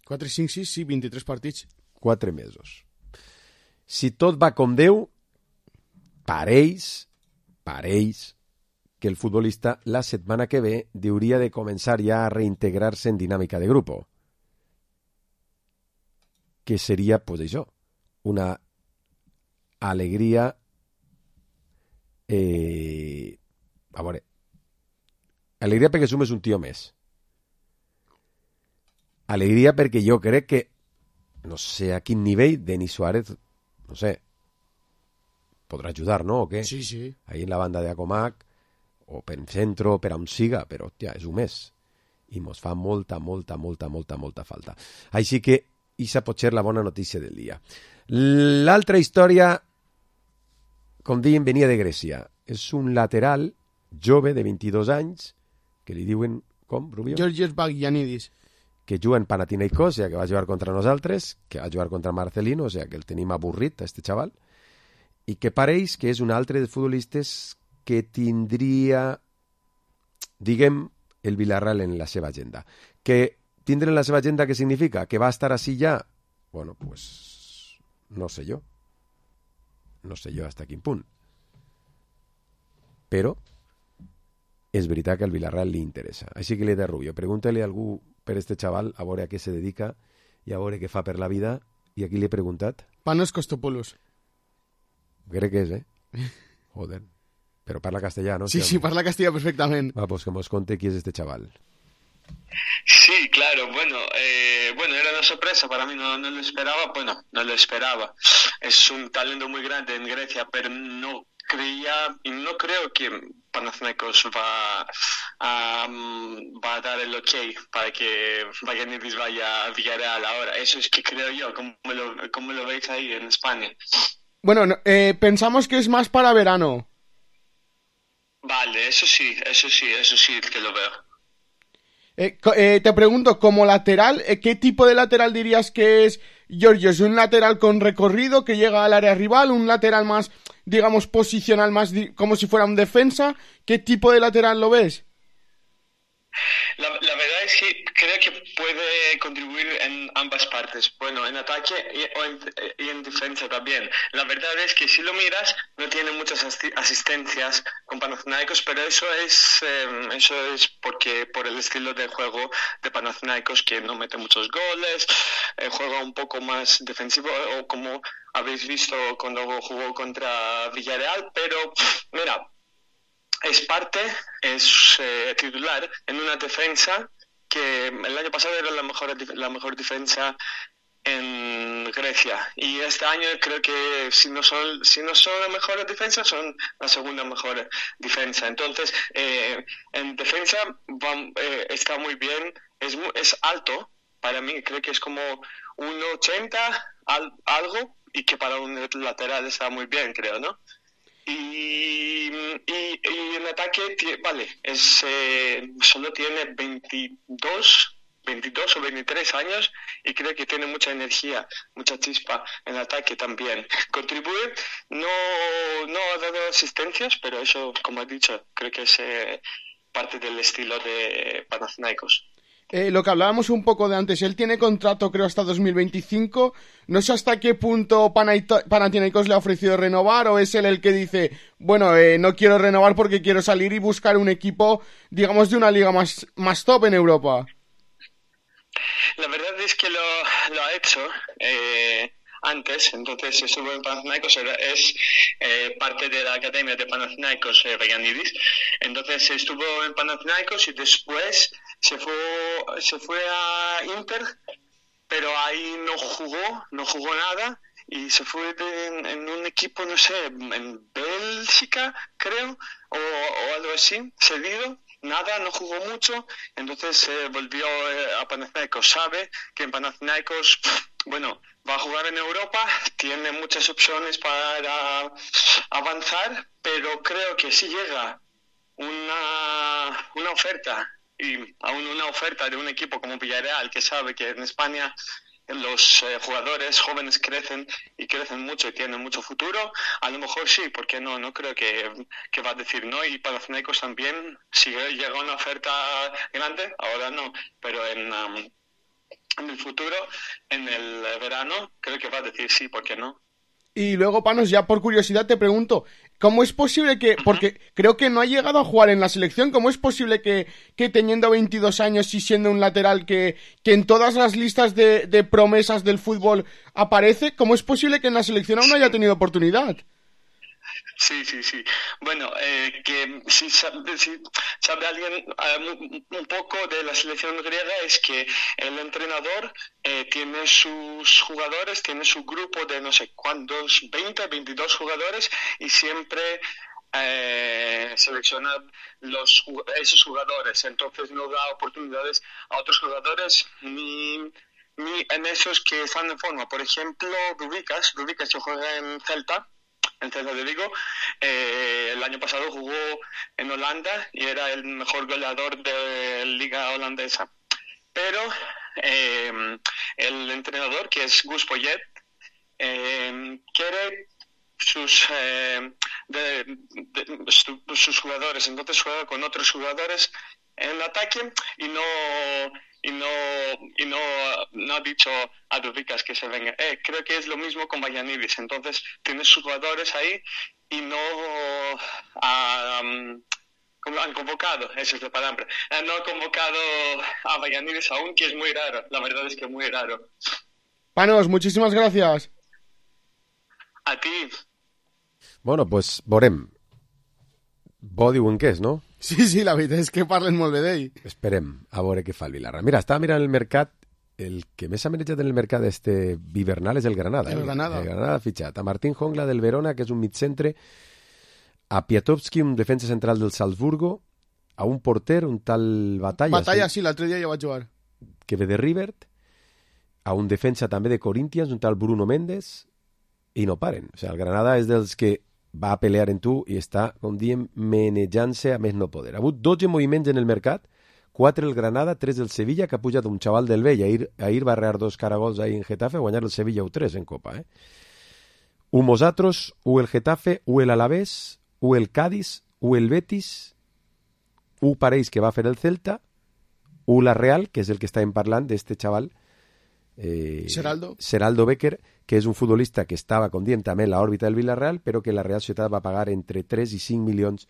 quatre, cinc, sis, sí, vint-i-tres partits.
Quatre mesos. Si tot va com Déu, pareix, pareix que el futbolista la setmana que ve hauria de començar ja a reintegrar-se en dinàmica de grupo. Que seria, pues això, una alegria eh, a veure, alegria perquè sumes un tio més, alegria perquè jo crec que no sé a quin nivell Denis Suárez, no sé, podrà ajudar, no? O què?
Sí, sí.
Ahí en la banda de Acomac o per centro, per on siga, però hòstia, és un mes i mos fa molta, molta, molta, molta, molta falta. Així que Isa pot ser la bona notícia del dia. L'altra història, com dèiem, venia de Grècia. És un lateral jove de vint-i-dos anys, que li diuen, com, Rubio?
Georgios Bagianidis.
que juga en Panathinaikos, o sea, que va a jugar contra nosaltres, que va a jugar contra Marcelino, o sea, que el tenim avorrit, este xaval, i que pareix que és un altre dels futbolistes que tindria, diguem, el Villarreal en la seva agenda. Que tindre en la seva agenda què significa? Que va estar així ja? Bueno, pues no sé jo. No sé jo hasta quin punt. Però és veritat que al Villarreal li interessa. Així que li he de Rubio, pregúntale a algú per este xaval, a veure a què se dedica i a veure què fa per la vida. I aquí li he preguntat.
Panos Costopoulos.
Crec que és, eh? Joder. Però parla castellà, ¿no?
Sí, sí, parla castellà perfectament.
Va, pues que nos conte qui és este chaval.
Sí, claro, bueno, eh, bueno, era una sorpresa, para mí no, no lo esperaba, bueno, no lo esperaba. Es un talento muy grande en Grecia, pero no creía y no creo que Panathinaikos va a, um, va a dar el ok para que Vagianidis vaya a Villarreal ahora. Eso es que creo yo. ¿Cómo lo, cómo lo veis ahí en España?
Bueno, no, eh, pensamos que es más para verano.
Vale, eso sí, eso sí, eso sí que lo veo.
Eh, eh, te pregunto, como lateral, eh, ¿qué tipo de lateral dirías que es Giorgio? ¿Es un lateral con recorrido que llega al área rival? ¿Un lateral más, digamos, posicional, más di- como si fuera un defensa? ¿Qué tipo de lateral lo ves?
La, la verdad es que creo que puede contribuir en ambas partes, bueno, en ataque y, o en, y en defensa también. La verdad es que si lo miras, no tiene muchas asi- asistencias con Panathinaikos, pero eso es eh, eso es porque por el estilo de juego de Panathinaikos, que no mete muchos goles, eh, juega un poco más defensivo, o como habéis visto cuando jugó contra Villarreal, pero mira, es parte, es eh, titular en una defensa que el año pasado era la mejor, la mejor defensa en Grecia, y este año creo que si no son si no son la mejor defensa, son la segunda mejor defensa. Entonces eh, en defensa va, eh, está muy bien, es, es alto, para mí creo que es como uno ochenta al, algo, y que para un lateral está muy bien, creo, ¿no? Y, y, y en ataque, vale, es eh, solo tiene veintidós, veintidós o veintitrés años, y creo que tiene mucha energía, mucha chispa en ataque también. Contribuye, no, no ha dado asistencias, pero eso, como he dicho, creo que es eh, parte del estilo de Panathinaikos.
Eh, lo que hablábamos un poco de antes, él tiene contrato creo hasta dos mil veinticinco, no sé hasta qué punto Panathinaikos le ha ofrecido renovar, o es él el que dice, bueno, eh, no quiero renovar porque quiero salir y buscar un equipo, digamos, de una liga más, más top en Europa.
La verdad es que lo, lo ha hecho eh, antes, entonces estuvo en Panathinaikos, es eh, parte de la academia de Panathinaikos, eh, Vagianidis, entonces estuvo en Panathinaikos y después se fue se fue a Inter, pero ahí no jugó, no jugó nada, y se fue de, en, en un equipo, no sé, en Bélgica, creo, o, o algo así, cedido. Nada, no jugó mucho, entonces eh, volvió eh, a Panathinaikos. Sabe que en Panathinaikos, bueno, va a jugar en Europa, tiene muchas opciones para avanzar, pero creo que si llega una, una oferta, y aún una oferta de un equipo como Villarreal, que sabe que en España los eh, jugadores jóvenes crecen y crecen mucho y tienen mucho futuro, a lo mejor sí, porque no, no creo que, que va a decir no. Y Panathinaikos también, si llega una oferta grande, ahora no, pero en, um, en el futuro, en el verano, creo que va a decir sí, ¿por qué no?
Y luego, Panos, ya por curiosidad te pregunto, ¿cómo es posible que, porque creo que no ha llegado a jugar en la selección, cómo es posible que, que teniendo veintidós años y siendo un lateral que, que en todas las listas de, de promesas del fútbol aparece, cómo es posible que en la selección aún no haya tenido oportunidad?
Sí, sí, sí. Bueno, eh, que si sabe, si sabe alguien um, un poco de la selección griega, es que el entrenador eh, tiene sus jugadores, tiene su grupo de no sé cuántos, veinte, veintidós jugadores, y siempre eh, selecciona los, esos jugadores. Entonces no da oportunidades a otros jugadores ni... ni en esos que están en forma. Por ejemplo, Rubikas, Rubikas que juega en Celta, en Celta de Vigo, eh, el año pasado jugó en Holanda y era el mejor goleador de la liga holandesa. Pero eh, el entrenador, que es Gus Poyet, eh, quiere sus eh, de, de, su, sus jugadores, entonces juega con otros jugadores en ataque y no y no y no, no ha dicho a Dubicas que se venga. Eh, creo que es lo mismo con Vallanidis, entonces tiene sus jugadores ahí y no ha, um, han convocado, esa es la palabra, no ha convocado a Vallanidis aún, que es muy raro, la verdad es que es muy raro.
Panos, muchísimas gracias.
A ti.
Bueno, pues veurem. Bo diuen que és, no?
Sí, sí, la veritat és que parlen molt bé d'ell.
Esperem a veure què fa el Villarreal. Mira, estava mirant el mercat, el que més s'ha manejat en el mercat este hivernal és el Granada.
El
eh?
Granada.
El Granada ha fitxat a Martín Jongla del Verona, que és un mitcentre, a Piatowski, un defensa central del Salzburgo, a un porter, un tal Batalla.
Batalla, sí, l'altre dia ja vaig jugar.
Que ve de Rivert, a un defensa també de Corinthians, un tal Bruno Méndez, i no paren. O sigui, el Granada és dels que va a pelear en tu i està, com diem, menejant-se a més no poder. Ha hagut dotze moviments en el mercat, quatre el Granada, tres el Sevilla, que ha pujat un xaval del Vell. Ahir, ahir va arrear dos caragols ahí en Getafe, a guanyar el Sevilla u tres en Copa. Eh? U Mosatros, u el Getafe, u el Alavés, u el Cádiz, u el Betis, u pareix que va fer el Celta, u la Real, que és el que estàvem parlant d'este xaval, Eh,
Seraldo.
Seraldo Becker, que és un futbolista que estava, com diem, també en l'òrbita del Villarreal, però que la Real Societat va pagar entre tres i cinc milions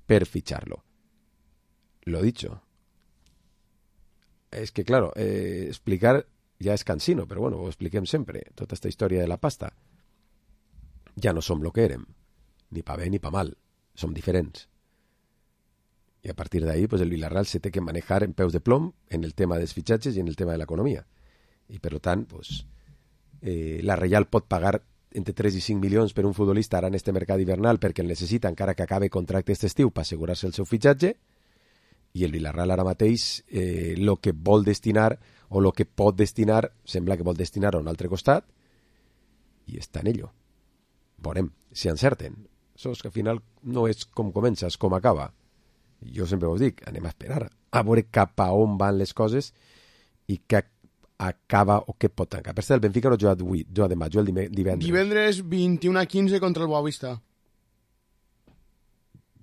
per fitxar-lo. Lo dicho. Es que, claro, eh, explicar ja és cansino, però bueno, ho expliquem sempre, tota esta història de la pasta. Ja no som lo que érem, ni pa bé ni pa mal, som diferents. I a partir d'ahí, pues el Villarreal se té que manejar en peus de plom en el tema dels fitxatges i en el tema de l'economia. I per tant, pues, eh, la Real pot pagar entre tres i cinc milions per un futbolista ara en este mercat hivernal perquè el necessita encara que acabe contracte este estiu per assegurar-se el seu fitxatge, i el Villarreal ara mateix eh, lo que vol destinar o lo que pot destinar, sembla que vol destinar a un altre costat, i està en ello. Veurem si encerten. Això és que al final no és com comença, és com acaba. Jo sempre us dic, anem a esperar a veure cap a on van les coses i que acaba o què pot tancar. Per cert, el Benfica no juga avui, juga demà, juga el divendres.
Divendres vint-i-u a quinze contra el Boavista.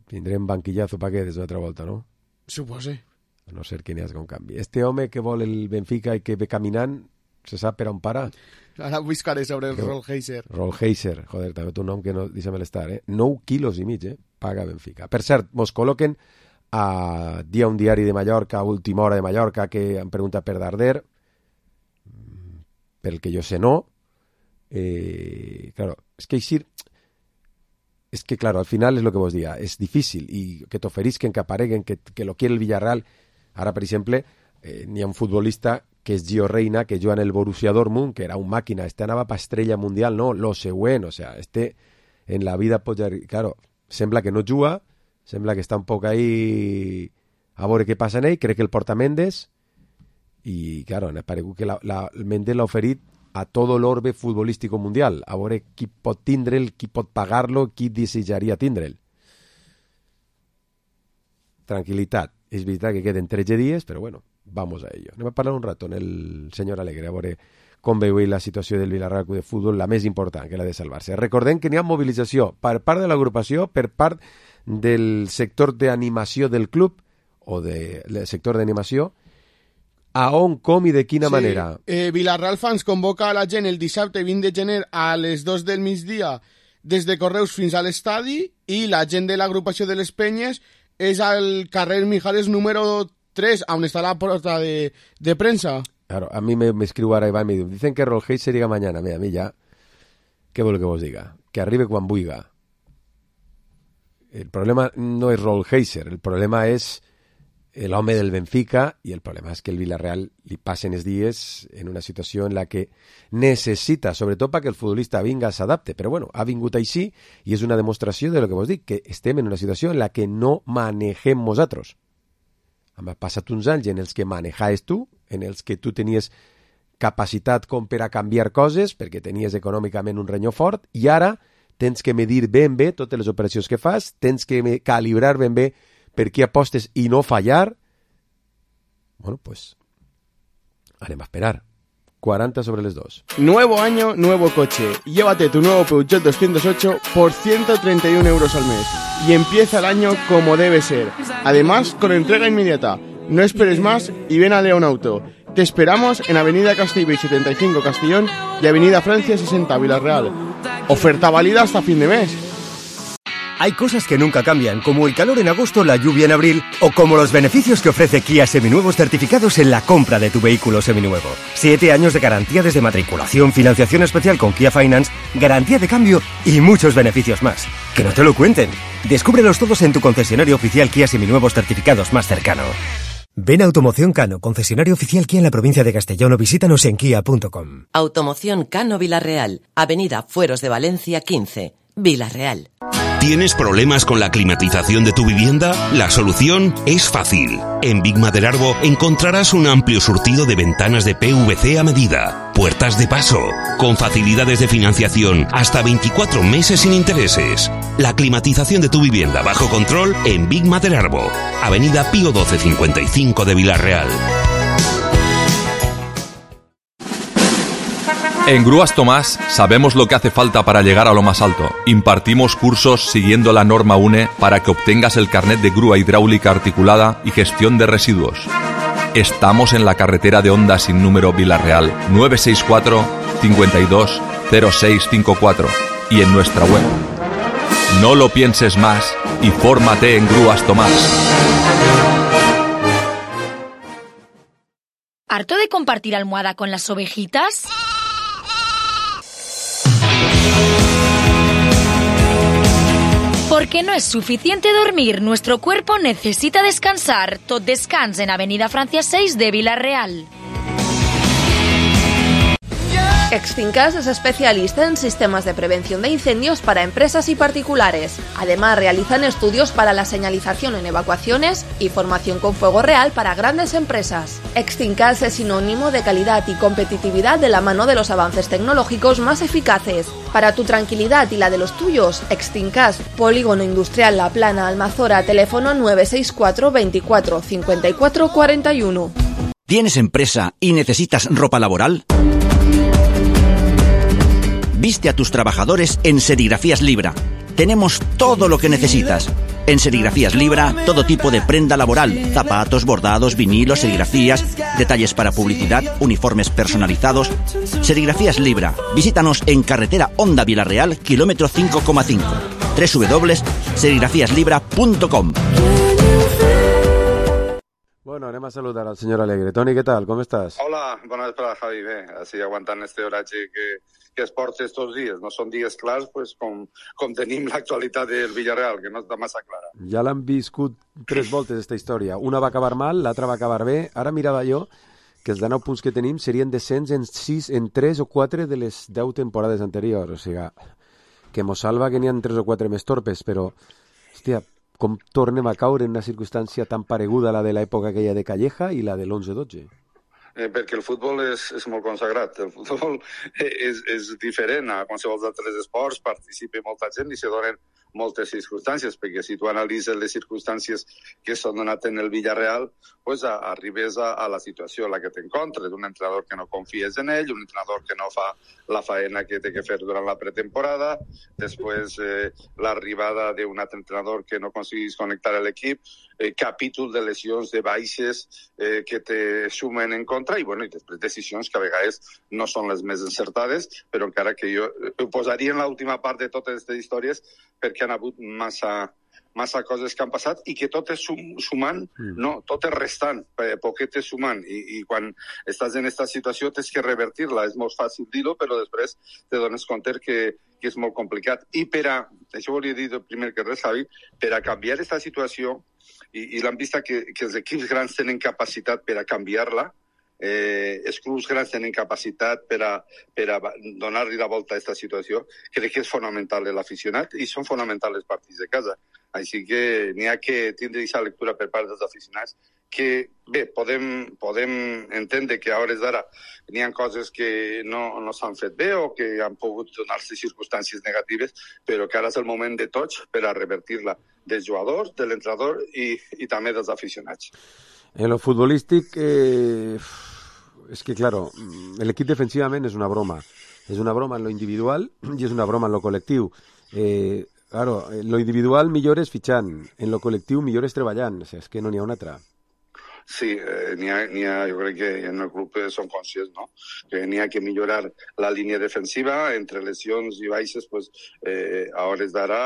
Tindrem banquillazo pa què des d'altra volta, no?
Supose.
A no ser que n'hi hagi un canvi. Este home que vol el Benfica i que ve caminant, se sap per on para?
Ara buscaré sobre el Rollheiser.
Rollheiser, joder, també té un nom que no, deixa'm l'estar, eh? nou quilos i mig, eh? Paga Benfica. Per cert, mos col·loquen a Dia un diari de Mallorca, a última hora de Mallorca, que han preguntat per Darder. Per el que jo sé no. Eh, claro, es que així es que claro, al final és lo que vos diga, és difícil i que t'oferisquen, que apareguen, que, que lo quiere el Villarreal. Ara, per exemple, eh, n'hi ha un futbolista que és Gio Reina, que juga en el Borussia Dortmund, que era un màquina, este anava pa estrella mundial, no, lo següent, o sea, este en la vida pot... Claro, sembla que no juga, sembla que està un poc ahí a veure què passa en ell, crec que el porta Mendes, i, claro, ha aparegut que la, la, el Mendes l'ha oferit a tot l'orbe futbolístico mundial, a veure qui pot tindre'l, qui pot pagar-lo, qui desitjaria tindre'l. Tranquilitat. És veritat que queden tretze dies, però bueno, vamos a ello. Anem a parlar un rato en el senyor Alegre, a veure com veu la situació del Villarreal Club de Futbol, la més important, que la de salvar-se. Recordem que n'hi ha mobilització per part de l'agrupació, per part del sector d'animació del club, o de, del sector d'animació, a on, com i de quina
sí.
manera?
Eh, Villarreal Fans convoca a la gent el dissabte vint de gener a les dos del migdia des de Correus fins a l'estadi, i la gent de l'agrupació de les Penyes és al carrer Mijares número tres, on està la porta de, de premsa.
Claro, a mí me, me escribo ahora Iván y me dice, dicen que Rollheiser llega mañana. Mira, a mí ya, ¿qué vuelvo que vos diga? Que arribe cuando buiga. El problema no es Rollheiser, el problema es el home del Benfica, i el problema és que el Villarreal li passen els dies en una situació en la que necessita, sobretot perquè el futbolista vinga, s'adapte, però bueno, ha vingut així i és una demostració de lo que vos dic, que estem en una situació en la que no manegem nosaltres. Han passat uns anys en els que manejaves tu, en els que tu tenies capacitat com per a canviar coses, perquè tenies econòmicament un renyó fort, i ara tens que medir ben bé totes les operacions que fas, tens que calibrar ben bé per què apostes i no fallar. Bueno, pues Anem a esperar. cuarenta sobre les dos.
Nuevo año, nuevo coche. Llévate tu nuevo Peugeot doscientos ocho por ciento treinta y uno euros al mes. Y empieza el año como debe ser. Además, con entrega inmediata. No esperes más y ven a León Auto. Te esperamos en Avenida Castellbell setenta y cinco Castellón y Avenida Francia sesenta Villarreal. Oferta válida hasta fin de mes.
Hay cosas que nunca cambian, como el calor en agosto, la lluvia en abril, o como los beneficios que ofrece Kia Seminuevos certificados en la compra de tu vehículo seminuevo. Siete años de garantía desde matriculación, financiación especial con Kia Finance, garantía de cambio y muchos beneficios más. Que no te lo cuenten. Descúbrelos todos en tu concesionario oficial Kia Seminuevos certificados más cercano. Ven a Automoción Cano, concesionario oficial Kia en la provincia de Castellón, o visítanos en kia punto com.
Automoción Cano Villarreal, Avenida Fueros de Valencia quince, Villarreal.
¿Tienes problemas con la climatización de tu vivienda? La solución es fácil. En Big Maderarbo encontrarás un amplio surtido de ventanas de P V C a medida, puertas de paso, con facilidades de financiación hasta veinticuatro meses sin intereses. La climatización de tu vivienda bajo control en Big Maderarbo, Avenida Pío doce cincuenta y cinco de Villarreal.
En Grúas Tomás sabemos lo que hace falta para llegar a lo más alto. Impartimos cursos siguiendo la norma U N E para que obtengas el carnet de grúa hidráulica articulada y gestión de residuos. Estamos en la carretera de Honda sin número Villarreal, nueve seis cuatro, cinco dos, cero seis cinco cuatro, y en nuestra web. No lo pienses más y fórmate en Grúas Tomás.
¿Harto de compartir almohada con las ovejitas? Porque no es suficiente dormir, nuestro cuerpo necesita descansar. Tot descans en Avenida Francia seis de Villarreal.
Extincas es especialista en sistemas de prevención de incendios para empresas y particulares. Además, realizan estudios para la señalización en evacuaciones y formación con fuego real para grandes empresas. Extincas es sinónimo de calidad y competitividad de la mano de los avances tecnológicos más eficaces. Para tu tranquilidad y la de los tuyos, Extincas, Polígono Industrial La Plana, Almazora, teléfono nueve seis cuatro, veinticuatro, cincuenta y cuatro cuarenta y uno.
¿Tienes empresa y necesitas ropa laboral? Viste a tus trabajadores en Serigrafías Libra. Tenemos todo lo que necesitas. En Serigrafías Libra, todo tipo de prenda laboral, zapatos, bordados, vinilos, serigrafías, detalles para publicidad, uniformes personalizados. Serigrafías Libra. Visítanos en carretera Honda Villarreal, kilómetro cinco coma cinco. doble u doble u doble u punto serigrafías libra punto com.
Bueno, anem a saludar al senyor Alegre. Toni, què tal? Com estàs?
Hola, bona vesprada, Javi. Bé, així aguantant este horatge que, que es porta estos dies. No són dies clars, pues, com, com tenim l'actualitat del Villarreal, que no està massa clara.
Ja l'han viscut tres voltes, aquesta història. Una va acabar mal, l'altra va acabar bé. Ara mirava jo que els dinou punts que tenim serien descens en sis, en tres o quatre de les deu temporades anteriors. O sigui, que mos salva que n'hi ha tres o quatre més torpes, però, hòstia, com tornem a caure en una circumstància tan pareguda a la de l'època aquella de Calleja i la de l'onze dotze?
Eh, perquè el futbol és, és molt consagrat. El futbol és, és diferent a qualsevol altres esports, participa molta gent i se donen moltes circumstàncies, perquè si tu analitzes les circumstàncies que s'han donat en el Villarreal, pues a, arribes a, a la situació a la que t'encontres, un entrenador que no confies en ell, un entrenador que no fa la faena que té que fer durant la pretemporada, després eh, l'arribada d'un altre entrenador que no aconseguís connectar l'equip, eh, capítol de lesions, de baixes eh, que te sumen en contra i, bueno, i després decisions que a vegades no són les més encertades, però encara que jo ho posaria en l'última part de totes aquestes històries perquè han hagut massa, massa coses que han passat i que tot és sum, sumant, mm. no, tot és restant, poquet és sumant, i, i quan estàs en aquesta situació tens que revertir-la, és molt fàcil dir-ho, però després te dones compte que, que és molt complicat. I per a, això volia dir primer que res, Javi, per a canviar aquesta situació, i, i l'hem vist que, que els equips grans tenen capacitat per a canviar-la, eh, els clubs grans tenen capacitat per a, per a donar-li la volta a aquesta situació, crec que és fonamental l'aficionat i són fonamentals els partits de casa. Així que n'hi ha que tindre aquesta lectura per part dels aficionats que, bé, podem, podem entendre que a hores d'ara n'hi ha coses que no, no s'han fet bé o que han pogut donar-se circumstàncies negatives, però que ara és el moment de tots per a revertir-la, dels jugadors, de l'entrenador i, i també dels aficionats.
En lo futbolístic, eh, es que claro, el equip defensivament és una broma. És una broma en lo individual i és una broma en lo col·lectiu. Eh, claro, en lo individual millores fitxant, en lo col·lectiu millores treballant. O sigui, és que no n'hi ha una altra.
Sí, eh, n'hi ha, n'hi ha, jo crec que en el club són conscients, no? Que n'hi ha que millorar la línia defensiva, entre lesions i baixes, pues, eh, a hores d'ara,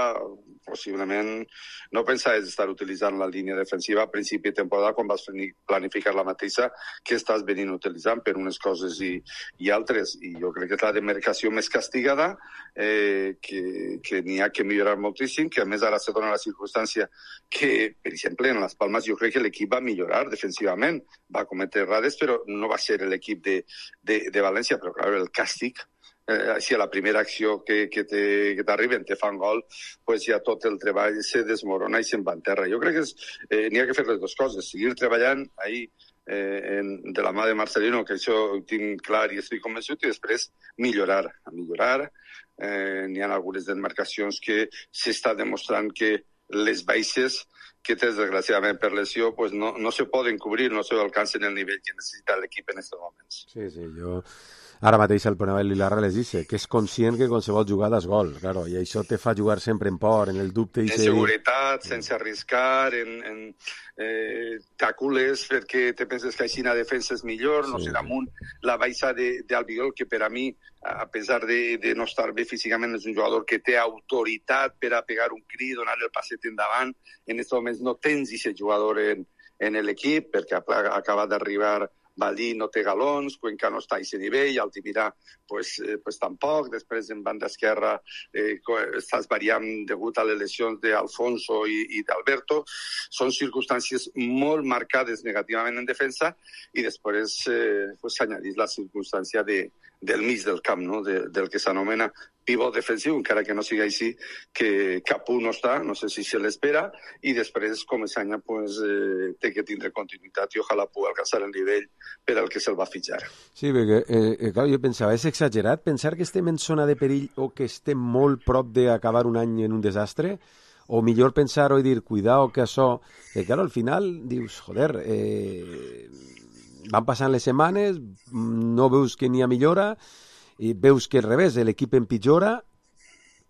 possiblement, no pensaves estar utilitzant la línia defensiva a principi de temporada quan vas planificar la mateixa que estàs venint utilitzant per unes coses i, i altres. I jo crec que és la demarcació més castigada, eh, que, que n'hi ha que millorar moltíssim, que a més ara se dona la circumstància que, per exemple, en les Palmes jo crec que l'equip va millorar defensivament, va cometre errades, però no va ser l'equip de, de, de València, però clar, el càstig, eh, si a la primera acció que, que t'arriben te fan gol, pues ja tot el treball se desmorona i se'n va en terra. Jo crec que és, eh, n'hi ha que fer les dues coses, seguir treballant ahir eh, en, de la mà de Marcelino, que això ho tinc clar i estic convençut, i després millorar, millorar. Eh, n'hi ha algunes demarcacions que s'està demostrant que les baixes que tens, desgraciadament, per lesió, pues no, no se poden cobrir, no se alcancen el nivell que necessita l'equip en aquests moments.
Sí, sí, jo... Ara mateix el Ponabel Vilarra les dice que és conscient que qualsevol jugada és gol, claro, i això te fa jugar sempre en por, en el dubte...
En seguretat, sense arriscar, en, en eh, t'acules perquè te penses que així la defensa és millor, sí. No sé, damunt la baixa d'Albiol, que per a mi, a pesar de, de no estar bé físicament, és un jugador que té autoritat per a pegar un crit, donar el passet endavant. En aquests moments no tens aquest jugador en, en l'equip, perquè acaba d'arribar Valí, no té galons, Cuenca no està a aquest nivell, Altimira pues, eh, pues tampoc, després en banda esquerra eh, estàs variant degut a les lesions d'Alfonso i, i d'Alberto. Són circumstàncies molt marcades negativament en defensa i després eh, pues, s'añadís la circumstància de, del mig del camp, no? de, del que s'anomena pivot defensiu, encara que no sigui així, que Capú no està, no sé si se l'espera, i després Comesaña pues, eh, té que tindre continuïtat i ojalà pugui alcançar el nivell per al que se'l va fitxar.
Sí, perquè eh, clar, jo pensava, és exagerat pensar que estem en zona de perill o que estem molt prop d'acabar un any en un desastre? O millor pensar o dir, cuidao que això... Eh, claro, al final dius, joder, eh, van passant les setmanes, no veus que n'hi ha millora, i veus que al revés, l'equip empitjora,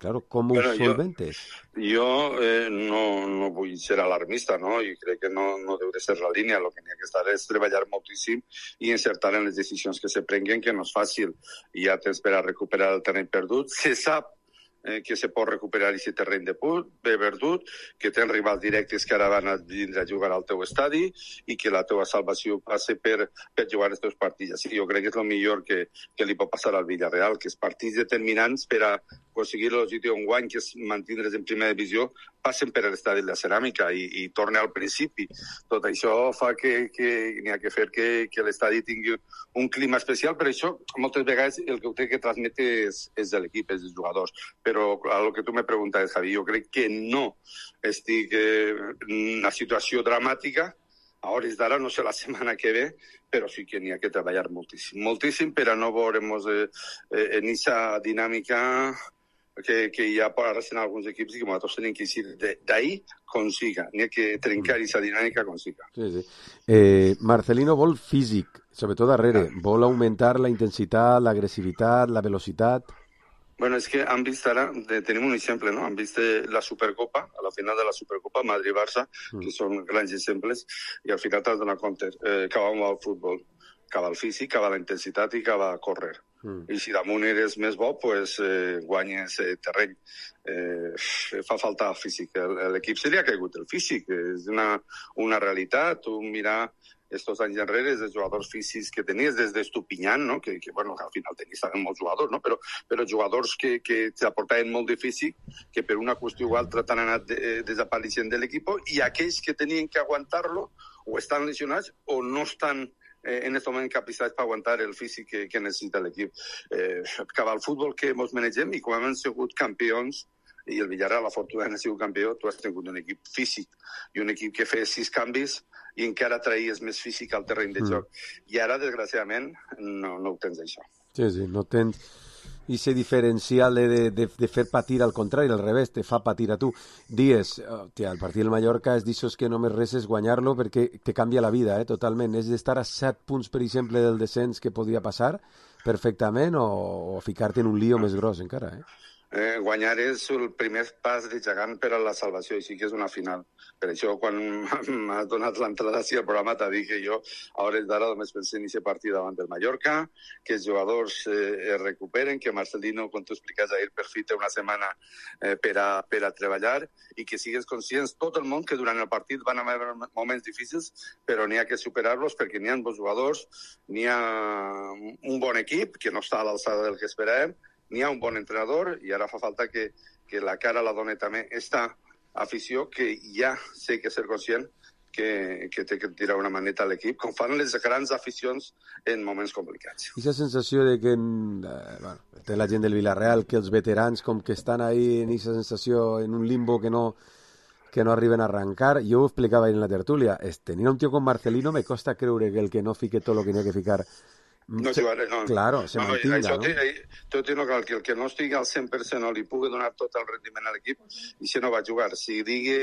claro, com ho bueno, solventes?
Jo, jo eh, no, no vull ser alarmista, no? I crec que no, no deu de ser la línia. El que n'hi ha que estar és treballar moltíssim i encertar en les decisions que se prenguen, que no és fàcil. I ja tens per a recuperar el terreny perdut. Se sap eh, que se pot recuperar aquest terreny de put, bé perdut, que tens rivals directes que ara van a vindre a jugar al teu estadi i que la teva salvació passa per, per jugar els teus partits. Sí, jo crec que és el millor que, que li pot passar al Villarreal, que és partits determinants per a aconseguir l'objectiu en guany, que és mantindre's en primera divisió, passen per l'estadi de la ceràmica i, i torna al principi. Tot això fa que, que n'hi ha que fer que, que l'estadi tingui un clima especial, per això moltes vegades el que ho té que transmetre és, és de l'equip, és dels jugadors. Però a lo que tu me preguntes, Javi, jo crec que no estic eh, en una situació dramàtica. A hores d'ara, no sé la setmana que ve, però sí que n'hi ha que treballar moltíssim. Moltíssim per a no veure'ns eh, eh, en aquesta dinàmica que, que hi ha ara en alguns equips i que nosaltres tenim que eixir d'ahir com siga. N'hi ha que trencar aquesta dinàmica com siga.
Sí, sí. Eh, Marcelino vol físic, sobretot darrere. Vol augmentar la intensitat, l'agressivitat, la velocitat...
Bueno, és que han vist ara, de, tenim un exemple, no? Han vist la Supercopa, a la final de la Supercopa, Madrid-Barça, mm. que són grans exemples, i al final t'has donat compte eh, que va al futbol, que va al físic, que va a la intensitat i que va a córrer. Mm. I si damunt eres més bo, pues, eh, guanyes eh, terreny. Eh, fa falta físic. L'equip se li ha caigut el físic, és una, una realitat. Tu mirar estos anys enrere, dels jugadors físics que tenies, des d'Estupinyan, no? que, que, bueno, que al final tenies també molts jugadors, no? però, però jugadors que, que t'aportaven molt de físic, que per una qüestió o altra t'han anat de, desapareixent de l'equip, i aquells que tenien que aguantar-lo o estan lesionats o no estan eh, en aquest moment capacitats per aguantar el físic que, que necessita l'equip. Eh, cap al futbol que ens manegem i com hem sigut campions, i el Villarreal, afortunadament, ha sigut campió, tu has tingut un equip físic i un equip que feia sis canvis i encara traïes més físic al terreny de joc. Mm. I ara, desgraciadament, no, no ho tens això.
Sí, sí, no tens... I ser diferencial de, de, de, de fer patir al contrari, al revés, te fa patir a tu. Dies, oh, tia, el partit del Mallorca és d'aixòs que només res és guanyar-lo perquè te canvia la vida, eh, totalment. És d'estar a set punts, per exemple, del descens que podria passar perfectament o, o ficar-te en un lío més gros encara, eh?
Eh, guanyar és el primer pas de gegant per a la salvació, i sí que és una final. Per això, quan m'has donat l'entrada al programa, t'ha dit que jo, a hores d'ara, només pensé en aquest partit davant del Mallorca, que els jugadors eh, es recuperen, que Marcelino, com tu expliques ahir, per fi té una setmana eh, per, a, per a treballar, i que sigues conscients, tot el món, que durant el partit van haver moments difícils, però n'hi ha que superar-los, perquè n'hi ha bons jugadors, n'hi ha un bon equip, que no està a l'alçada del que esperàvem, n'hi ha un bon entrenador, i ara fa falta que, que la cara la doni també esta afició, que ja sé que ser conscient que, que té que tirar una maneta a l'equip, com fan les grans aficions en moments complicats.
I la sensació de que eh, bueno, té la gent del Villarreal, que els veterans com que estan ahí en aquesta sensació, en un limbo que no, que no arriben a arrancar. Jo ho explicava ahir en la tertúlia, es, tenir un tio com Marcelino me costa creure que el que no fique tot el que n'hi ha que ficar
no jugaré, no.
Claro, se no, mantinga,
això
no?
Tot no cal que el que no estigui al cent per cent no li pugui donar tot el rendiment a l'equip, i si no va jugar, si digui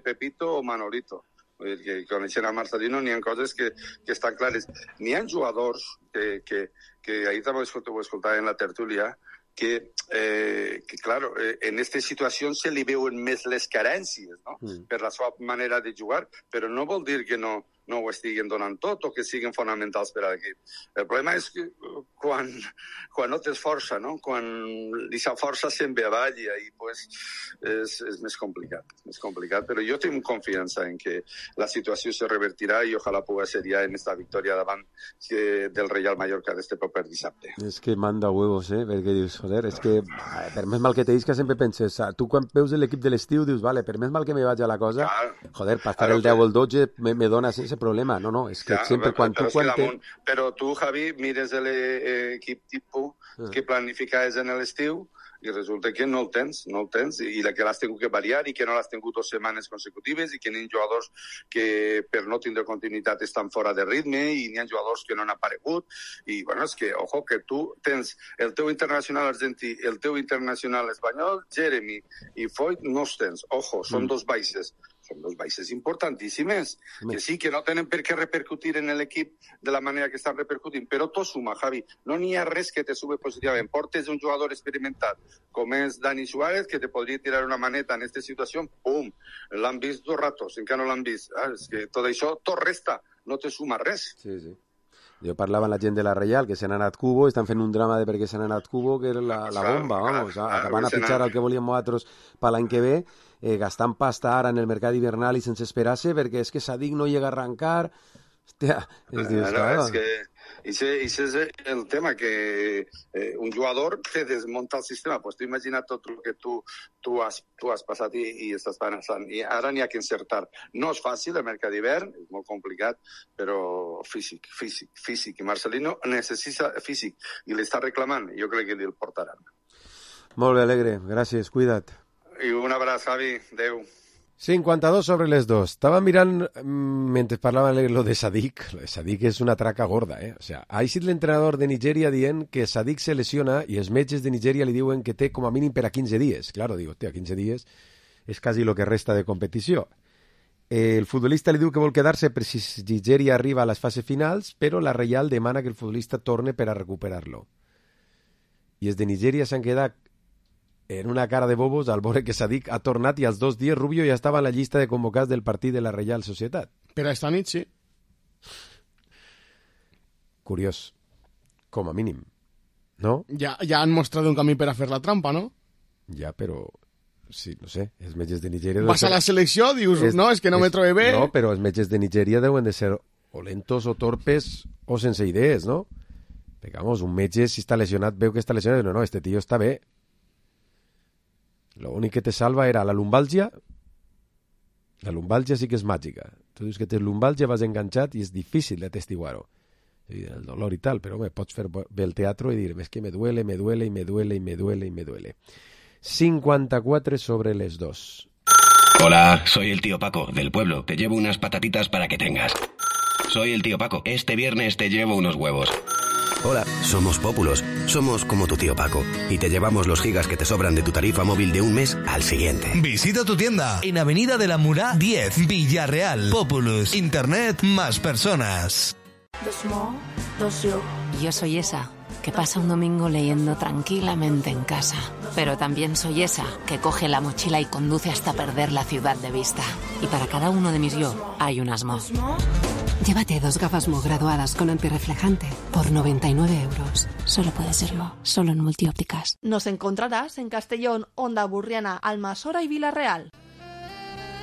Pepito o Manolito. Vull dir que coneixent a Marcelino n'hi ha coses que, que estan clares. N'hi ha jugadors que, que, que ahir també ho escoltava en la tertúlia, que, eh, que claro, eh, en aquestes situacions se li veuen més les carències, no? Mm. Per la seva manera de jugar, però no vol dir que no, no ho estiguen donant tot o que siguin fonamentals per a l'equip. El problema és que quan, quan no tens força, no? Quan aquesta força se'n ve avall i ahí pues, és, és més complicat, més complicat, però jo tinc confiança en que la situació se revertirà i ojalà pugui ser ja en esta victòria davant del Real Mallorca d'este proper dissabte.
És que manda huevos, eh? Perquè dius, joder, és que per més mal que te que sempre penses, tu quan veus l'equip de l'estiu dius, vale, per més mal que me vaig a la cosa, claro, joder, per estar el deu o el dotze me, me dones ese problema. No, no, és que claro, sempre quan tu cuentes...
Però tu, Javi, mires l'equip tipus ah. que planificaves en l'estiu i resulta que no el tens, no el tens, i la que l'has tingut que variar i que no l'has tingut dues setmanes consecutives i que n'hi ha jugadors que per no tindre continuïtat estan fora de ritme i n'hi ha jugadors que no han aparegut i, bueno, és que, ojo, que tu tens el teu internacional argentí, el teu internacional espanyol, Jeremy i Foyt no els tens, ojo, són mm. dos baixes. Són dos baixes importantíssimes, que sí, que no tenen per què repercutir en l'equip de la manera que estan repercutint, però tot suma, Javi. No n'hi ha res que te sube positivament. Portes un jugador experimentat, com és Dani Suárez, que te podria tirar una maneta en aquesta situació, pum, l'han vist dos ratos, encara no l'han vist. Ah, és que tot això, tot resta, no te suma res.
Sí, sí. Jo parlava amb la gent de la Reial, que s'han anat Cubo, estan fent un drama de per què s'han anat Cubo, que era la, la bomba, vamos, acaban a pitjar el que volíem nosaltres per l'any que ve, eh, gastant pasta ara en el mercat hivernal i sense esperar-se, perquè és que Sadik no llega a arrancar. Hòstia, és, dius,
no, no, és que Ese, ese és el tema, que eh, un jugador te desmunta el sistema. Pues tu imagina't tot el que tu, tu, has, tu has passat i, i estàs pensant. I ara n'hi ha que encertar. No és fàcil el mercat d'hivern, és molt complicat, però físic, físic, físic. I Marcelino necessita físic i l'està reclamant. Jo crec que li'l portaran.
Molt bé, Alegre. Gràcies, cuida't.
I un abraç, Javi. Adéu.
cinquanta-dos sobre les dos. Estava mirant, mentre parlava lo de Sadik, Sadik és una traca gorda, eh? O sea, ha sigut l'entrenador de Nigèria dient que Sadik se lesiona i els metges de Nigèria li diuen que té com a mínim per a quinze dies. Claro, digo, té, a quinze dies és quasi lo que resta de competició. El futbolista li diu que vol quedar-se per si Nigèria arriba a les fases finals, però la Reial demana que el futbolista torne per a recuperar-lo. I els de Nigèria s'han quedat en una cara de bobos al veure que Sadik ha tornat i als dos dies Rubio ja estava en la llista de convocats del partit de la Reial Societat.
Per esta nit, sí.
Curiós, com a mínim, no?
Ja, ja han mostrat un camí per a fer la trampa, no?
Ja, però, sí, no sé, els metges de Nigèria...
Vas a la selecció, dius, és, no, és que no és, me trobe bé...
No, però els metges de Nigèria deuen de ser o lentos o torpes o sense idees, no? Perquè, vamos, un metge, si està lesionat, veu que està lesionat, no, no, este tio està bé. Lo únic que te salva era la lumbàlgia. La lumbàlgia sí que és màgica. Tu dius que tens lumbàlgia, vas enganxat i és difícil de testiguar-ho. El dolor i tal, però home, pots fer bé el teatre i dir, es que me duele, me duele, y me duele, y me duele, y me duele. cincuenta-quatre sobre les dos.
Hola, soy el tío Paco, del pueblo. Te llevo unas patatitas para que tengas. Soy el tío Paco. Este viernes te llevo unos huevos. Hola, somos Pópulos. Somos como tu tío Paco. Y te llevamos los gigas que te sobran de tu tarifa móvil de un mes al siguiente.
Visita tu tienda en Avenida de la Murá diez, Villarreal. Populus. Internet más personas.
Yo soy esa que pasa un domingo leyendo tranquilamente en casa. Pero también soy esa que coge la mochila y conduce hasta perder la ciudad de vista. Y para cada uno de mis yo hay un asmo.
Llévate dos gafas Mo graduadas con antirreflejante por noventa y nueve euros. Solo puede ser Mo, solo en Multiópticas.
Nos encontrarás en Castellón, Onda Burriana, Almasora y Vilarreal.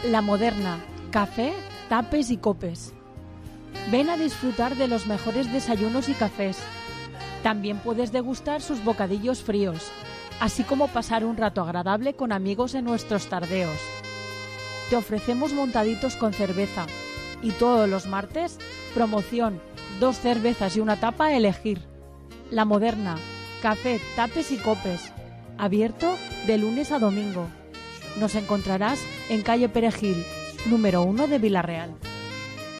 La Moderna, café, tapes y copes. Ven a disfrutar de los mejores desayunos y cafés. También puedes degustar sus bocadillos fríos, así como pasar un rato agradable con amigos en nuestros tardeos. Te ofrecemos montaditos con cerveza. Y todos los martes, promoción, dos cervezas y una tapa a elegir. La Moderna, café, tapes y copes. Abierto de lunes a domingo. Nos encontrarás en calle Perejil, número uno de Vilarreal.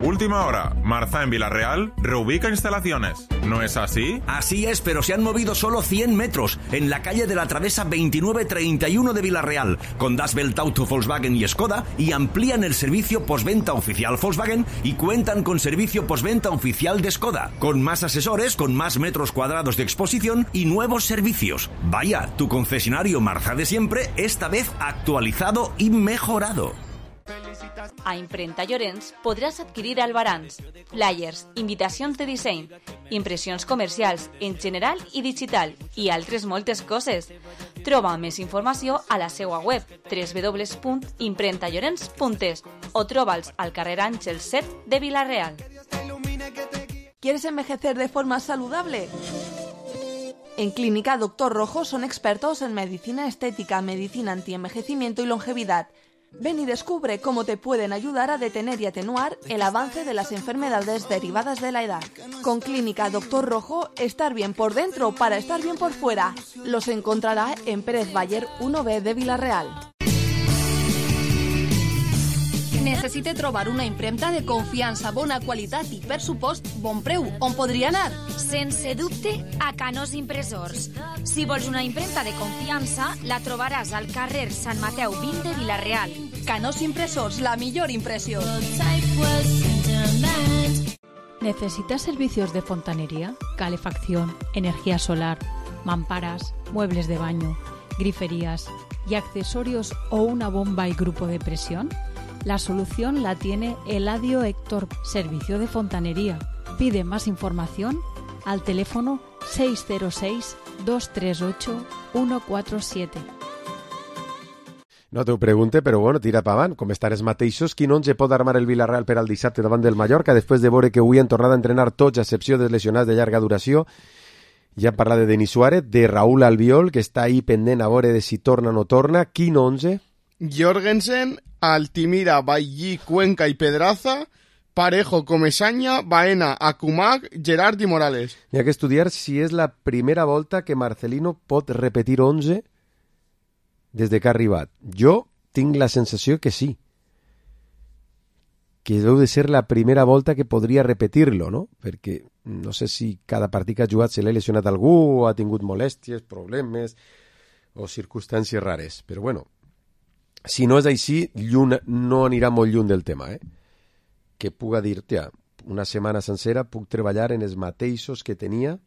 Última hora. Marza en Vilarreal reubica instalaciones. ¿No es así?
Así es, pero se han movido solo cien metros en la calle de la Travesa veintinueve treinta y uno de Vilarreal, con Das Welt Auto Volkswagen y Skoda, y amplían el servicio postventa oficial Volkswagen y cuentan con servicio postventa oficial de Skoda, con más asesores, con más metros cuadrados de exposición y nuevos servicios. Vaya, tu concesionario Marza de siempre, esta vez actualizado y mejorado.
A Imprenta Llorenç podràs adquirir albarans, flyers, invitacions de disseny, impressions comercials en general i digital i altres moltes coses. Troba més informació a la seva web w w w punt imprenta llorenç punt es o troba'ls al carrer Àngel set de Vilarreal.
¿Quieres envejecer de forma saludable? En Clínica Doctor Rojo son expertos en medicina estética, medicina antienvejecimiento y longevidad. Ven y descubre cómo te pueden ayudar a detener y atenuar el avance de las enfermedades derivadas de la edad. Con Clínica Doctor Rojo, estar bien por dentro para estar bien por fuera. Los encontrará en Pérez Bayer uno B de Vilarreal. Necessite trobar una impremta de confiança, bona qualitat i, per supost, bon preu. On podria anar?
Sense dubte, a Canós Impressors. Si vols una impremta de confiança, la trobaràs al carrer Sant Mateu vint de Vilarreal.
Canós Impressors, la millor impressió.
¿Necesitas servicios de fontanería, calefacción, energía solar, mamparas, muebles de baño, griferías y accesorios o una bomba y grupo de presión? La solución la tiene Eladio Héctor, servicio de fontanería. Pide más información al teléfono seis cero seis, dos tres ocho, uno cuatro siete.
No t'ho pregunte, però bueno, tira pa avant. Com estan els mateixos, quin onze pot armar el Vilarreal per al dissabte davant del Mallorca, després de veure que avui han tornat a entrenar tots, a excepció dels lesionats de llarga duració? Ja hem parlat de Denis Suárez, de Raúl Albiol, que està ahí pendent a veure de si torna o no torna. Quin onze?
Jorgensen, Altimira, Bailly, Cuenca y Pedraza, Parejo, Comesaña, Baena, Akumak, Gerard y Morales.
Hi ha que estudiar si és la primera volta que Marcelino pot repetir onze des de que ha arribat. Jo tinc la sensació que sí. Que deu de ser la primera volta que podria repetir-lo, no? Perquè no sé si cada partit que ha jugat se l'ha lesionat algú o ha tingut molèsties, problemes o circumstàncies rares. Però bueno, si no és així, lluny, no anirà molt lluny del tema, eh? Que puga dir, tia, una setmana sencera puc treballar en els mateixos que tenia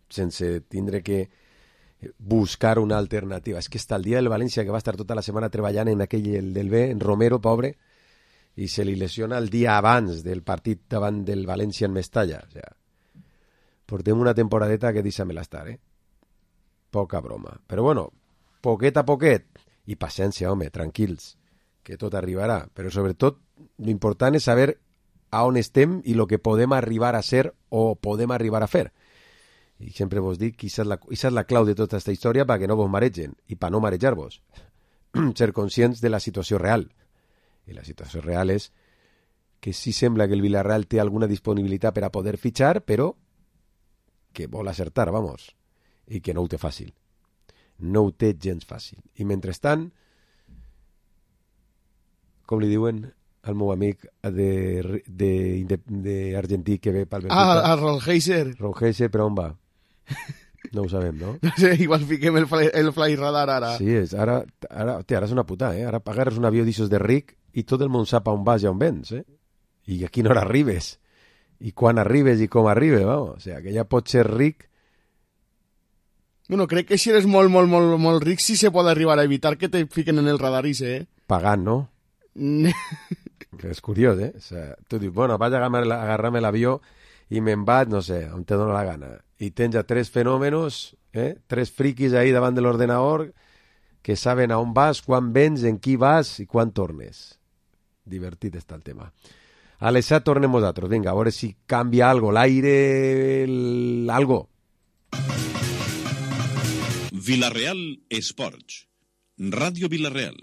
sense tindre que buscar una alternativa. És que està el dia del València, que va estar tota la setmana treballant en aquell el del B, en Romero, pobre, i se li lesiona el dia abans del partit davant del València en Mestalla. O sea, portem una temporadeta que deixa-me-la estar, eh? Poca broma. Però bueno, poquet a poquet, i paciència, home, tranquils, que tot arribarà. Però sobretot, l'important és saber a on estem i el que podem arribar a ser o podem arribar a fer. I sempre vos dic que això és la, això és la clau de tota aquesta història perquè no vos maregen i per no marejar-vos. Ser conscients de la situació real. I la situació real és que sí sembla que el Villarreal té alguna disponibilitat per a poder fitxar, però que vol acertar, vamos, i que no ho té fàcil. No ho té gens fàcil. I mentrestant, com li diuen, el meu amic de, de, de, de argentí que ve pel
Benfica. Ah, el Ron Heiser.
Ron Heiser, però on va? No ho sabem, no?
No sé, igual fiquem el fly, el fly radar ara.
Sí, és, ara, ara, té, ara és una puta, eh? Ara agarres un avió d'ixos de ric i tot el món sap on vas i on vens, eh? I a quina hora arribes. I quan arribes i com arribes, vamos. O sea, que ja pots ser ric.
Bueno, crec que si eres molt, molt, molt, molt ric sí se pot arribar a evitar que te fiquen en el radar ese, eh?
Pagant, no? És curiós, eh? O sea, tu dius, bueno, vaig a agarrar-me l'avió i me'n vaig, no sé, on te dóna la gana. I tens ja tres fenòmenos, eh? Tres friquis ahí davant de l'ordenador que saben a on vas, quan vens, en qui vas i quan tornes. Divertit està el tema. A les set tornem nosaltres. Vinga, a veure si canvia algo, l'aire, el... algo.
Vila Real Esports. Ràdio Vila Real.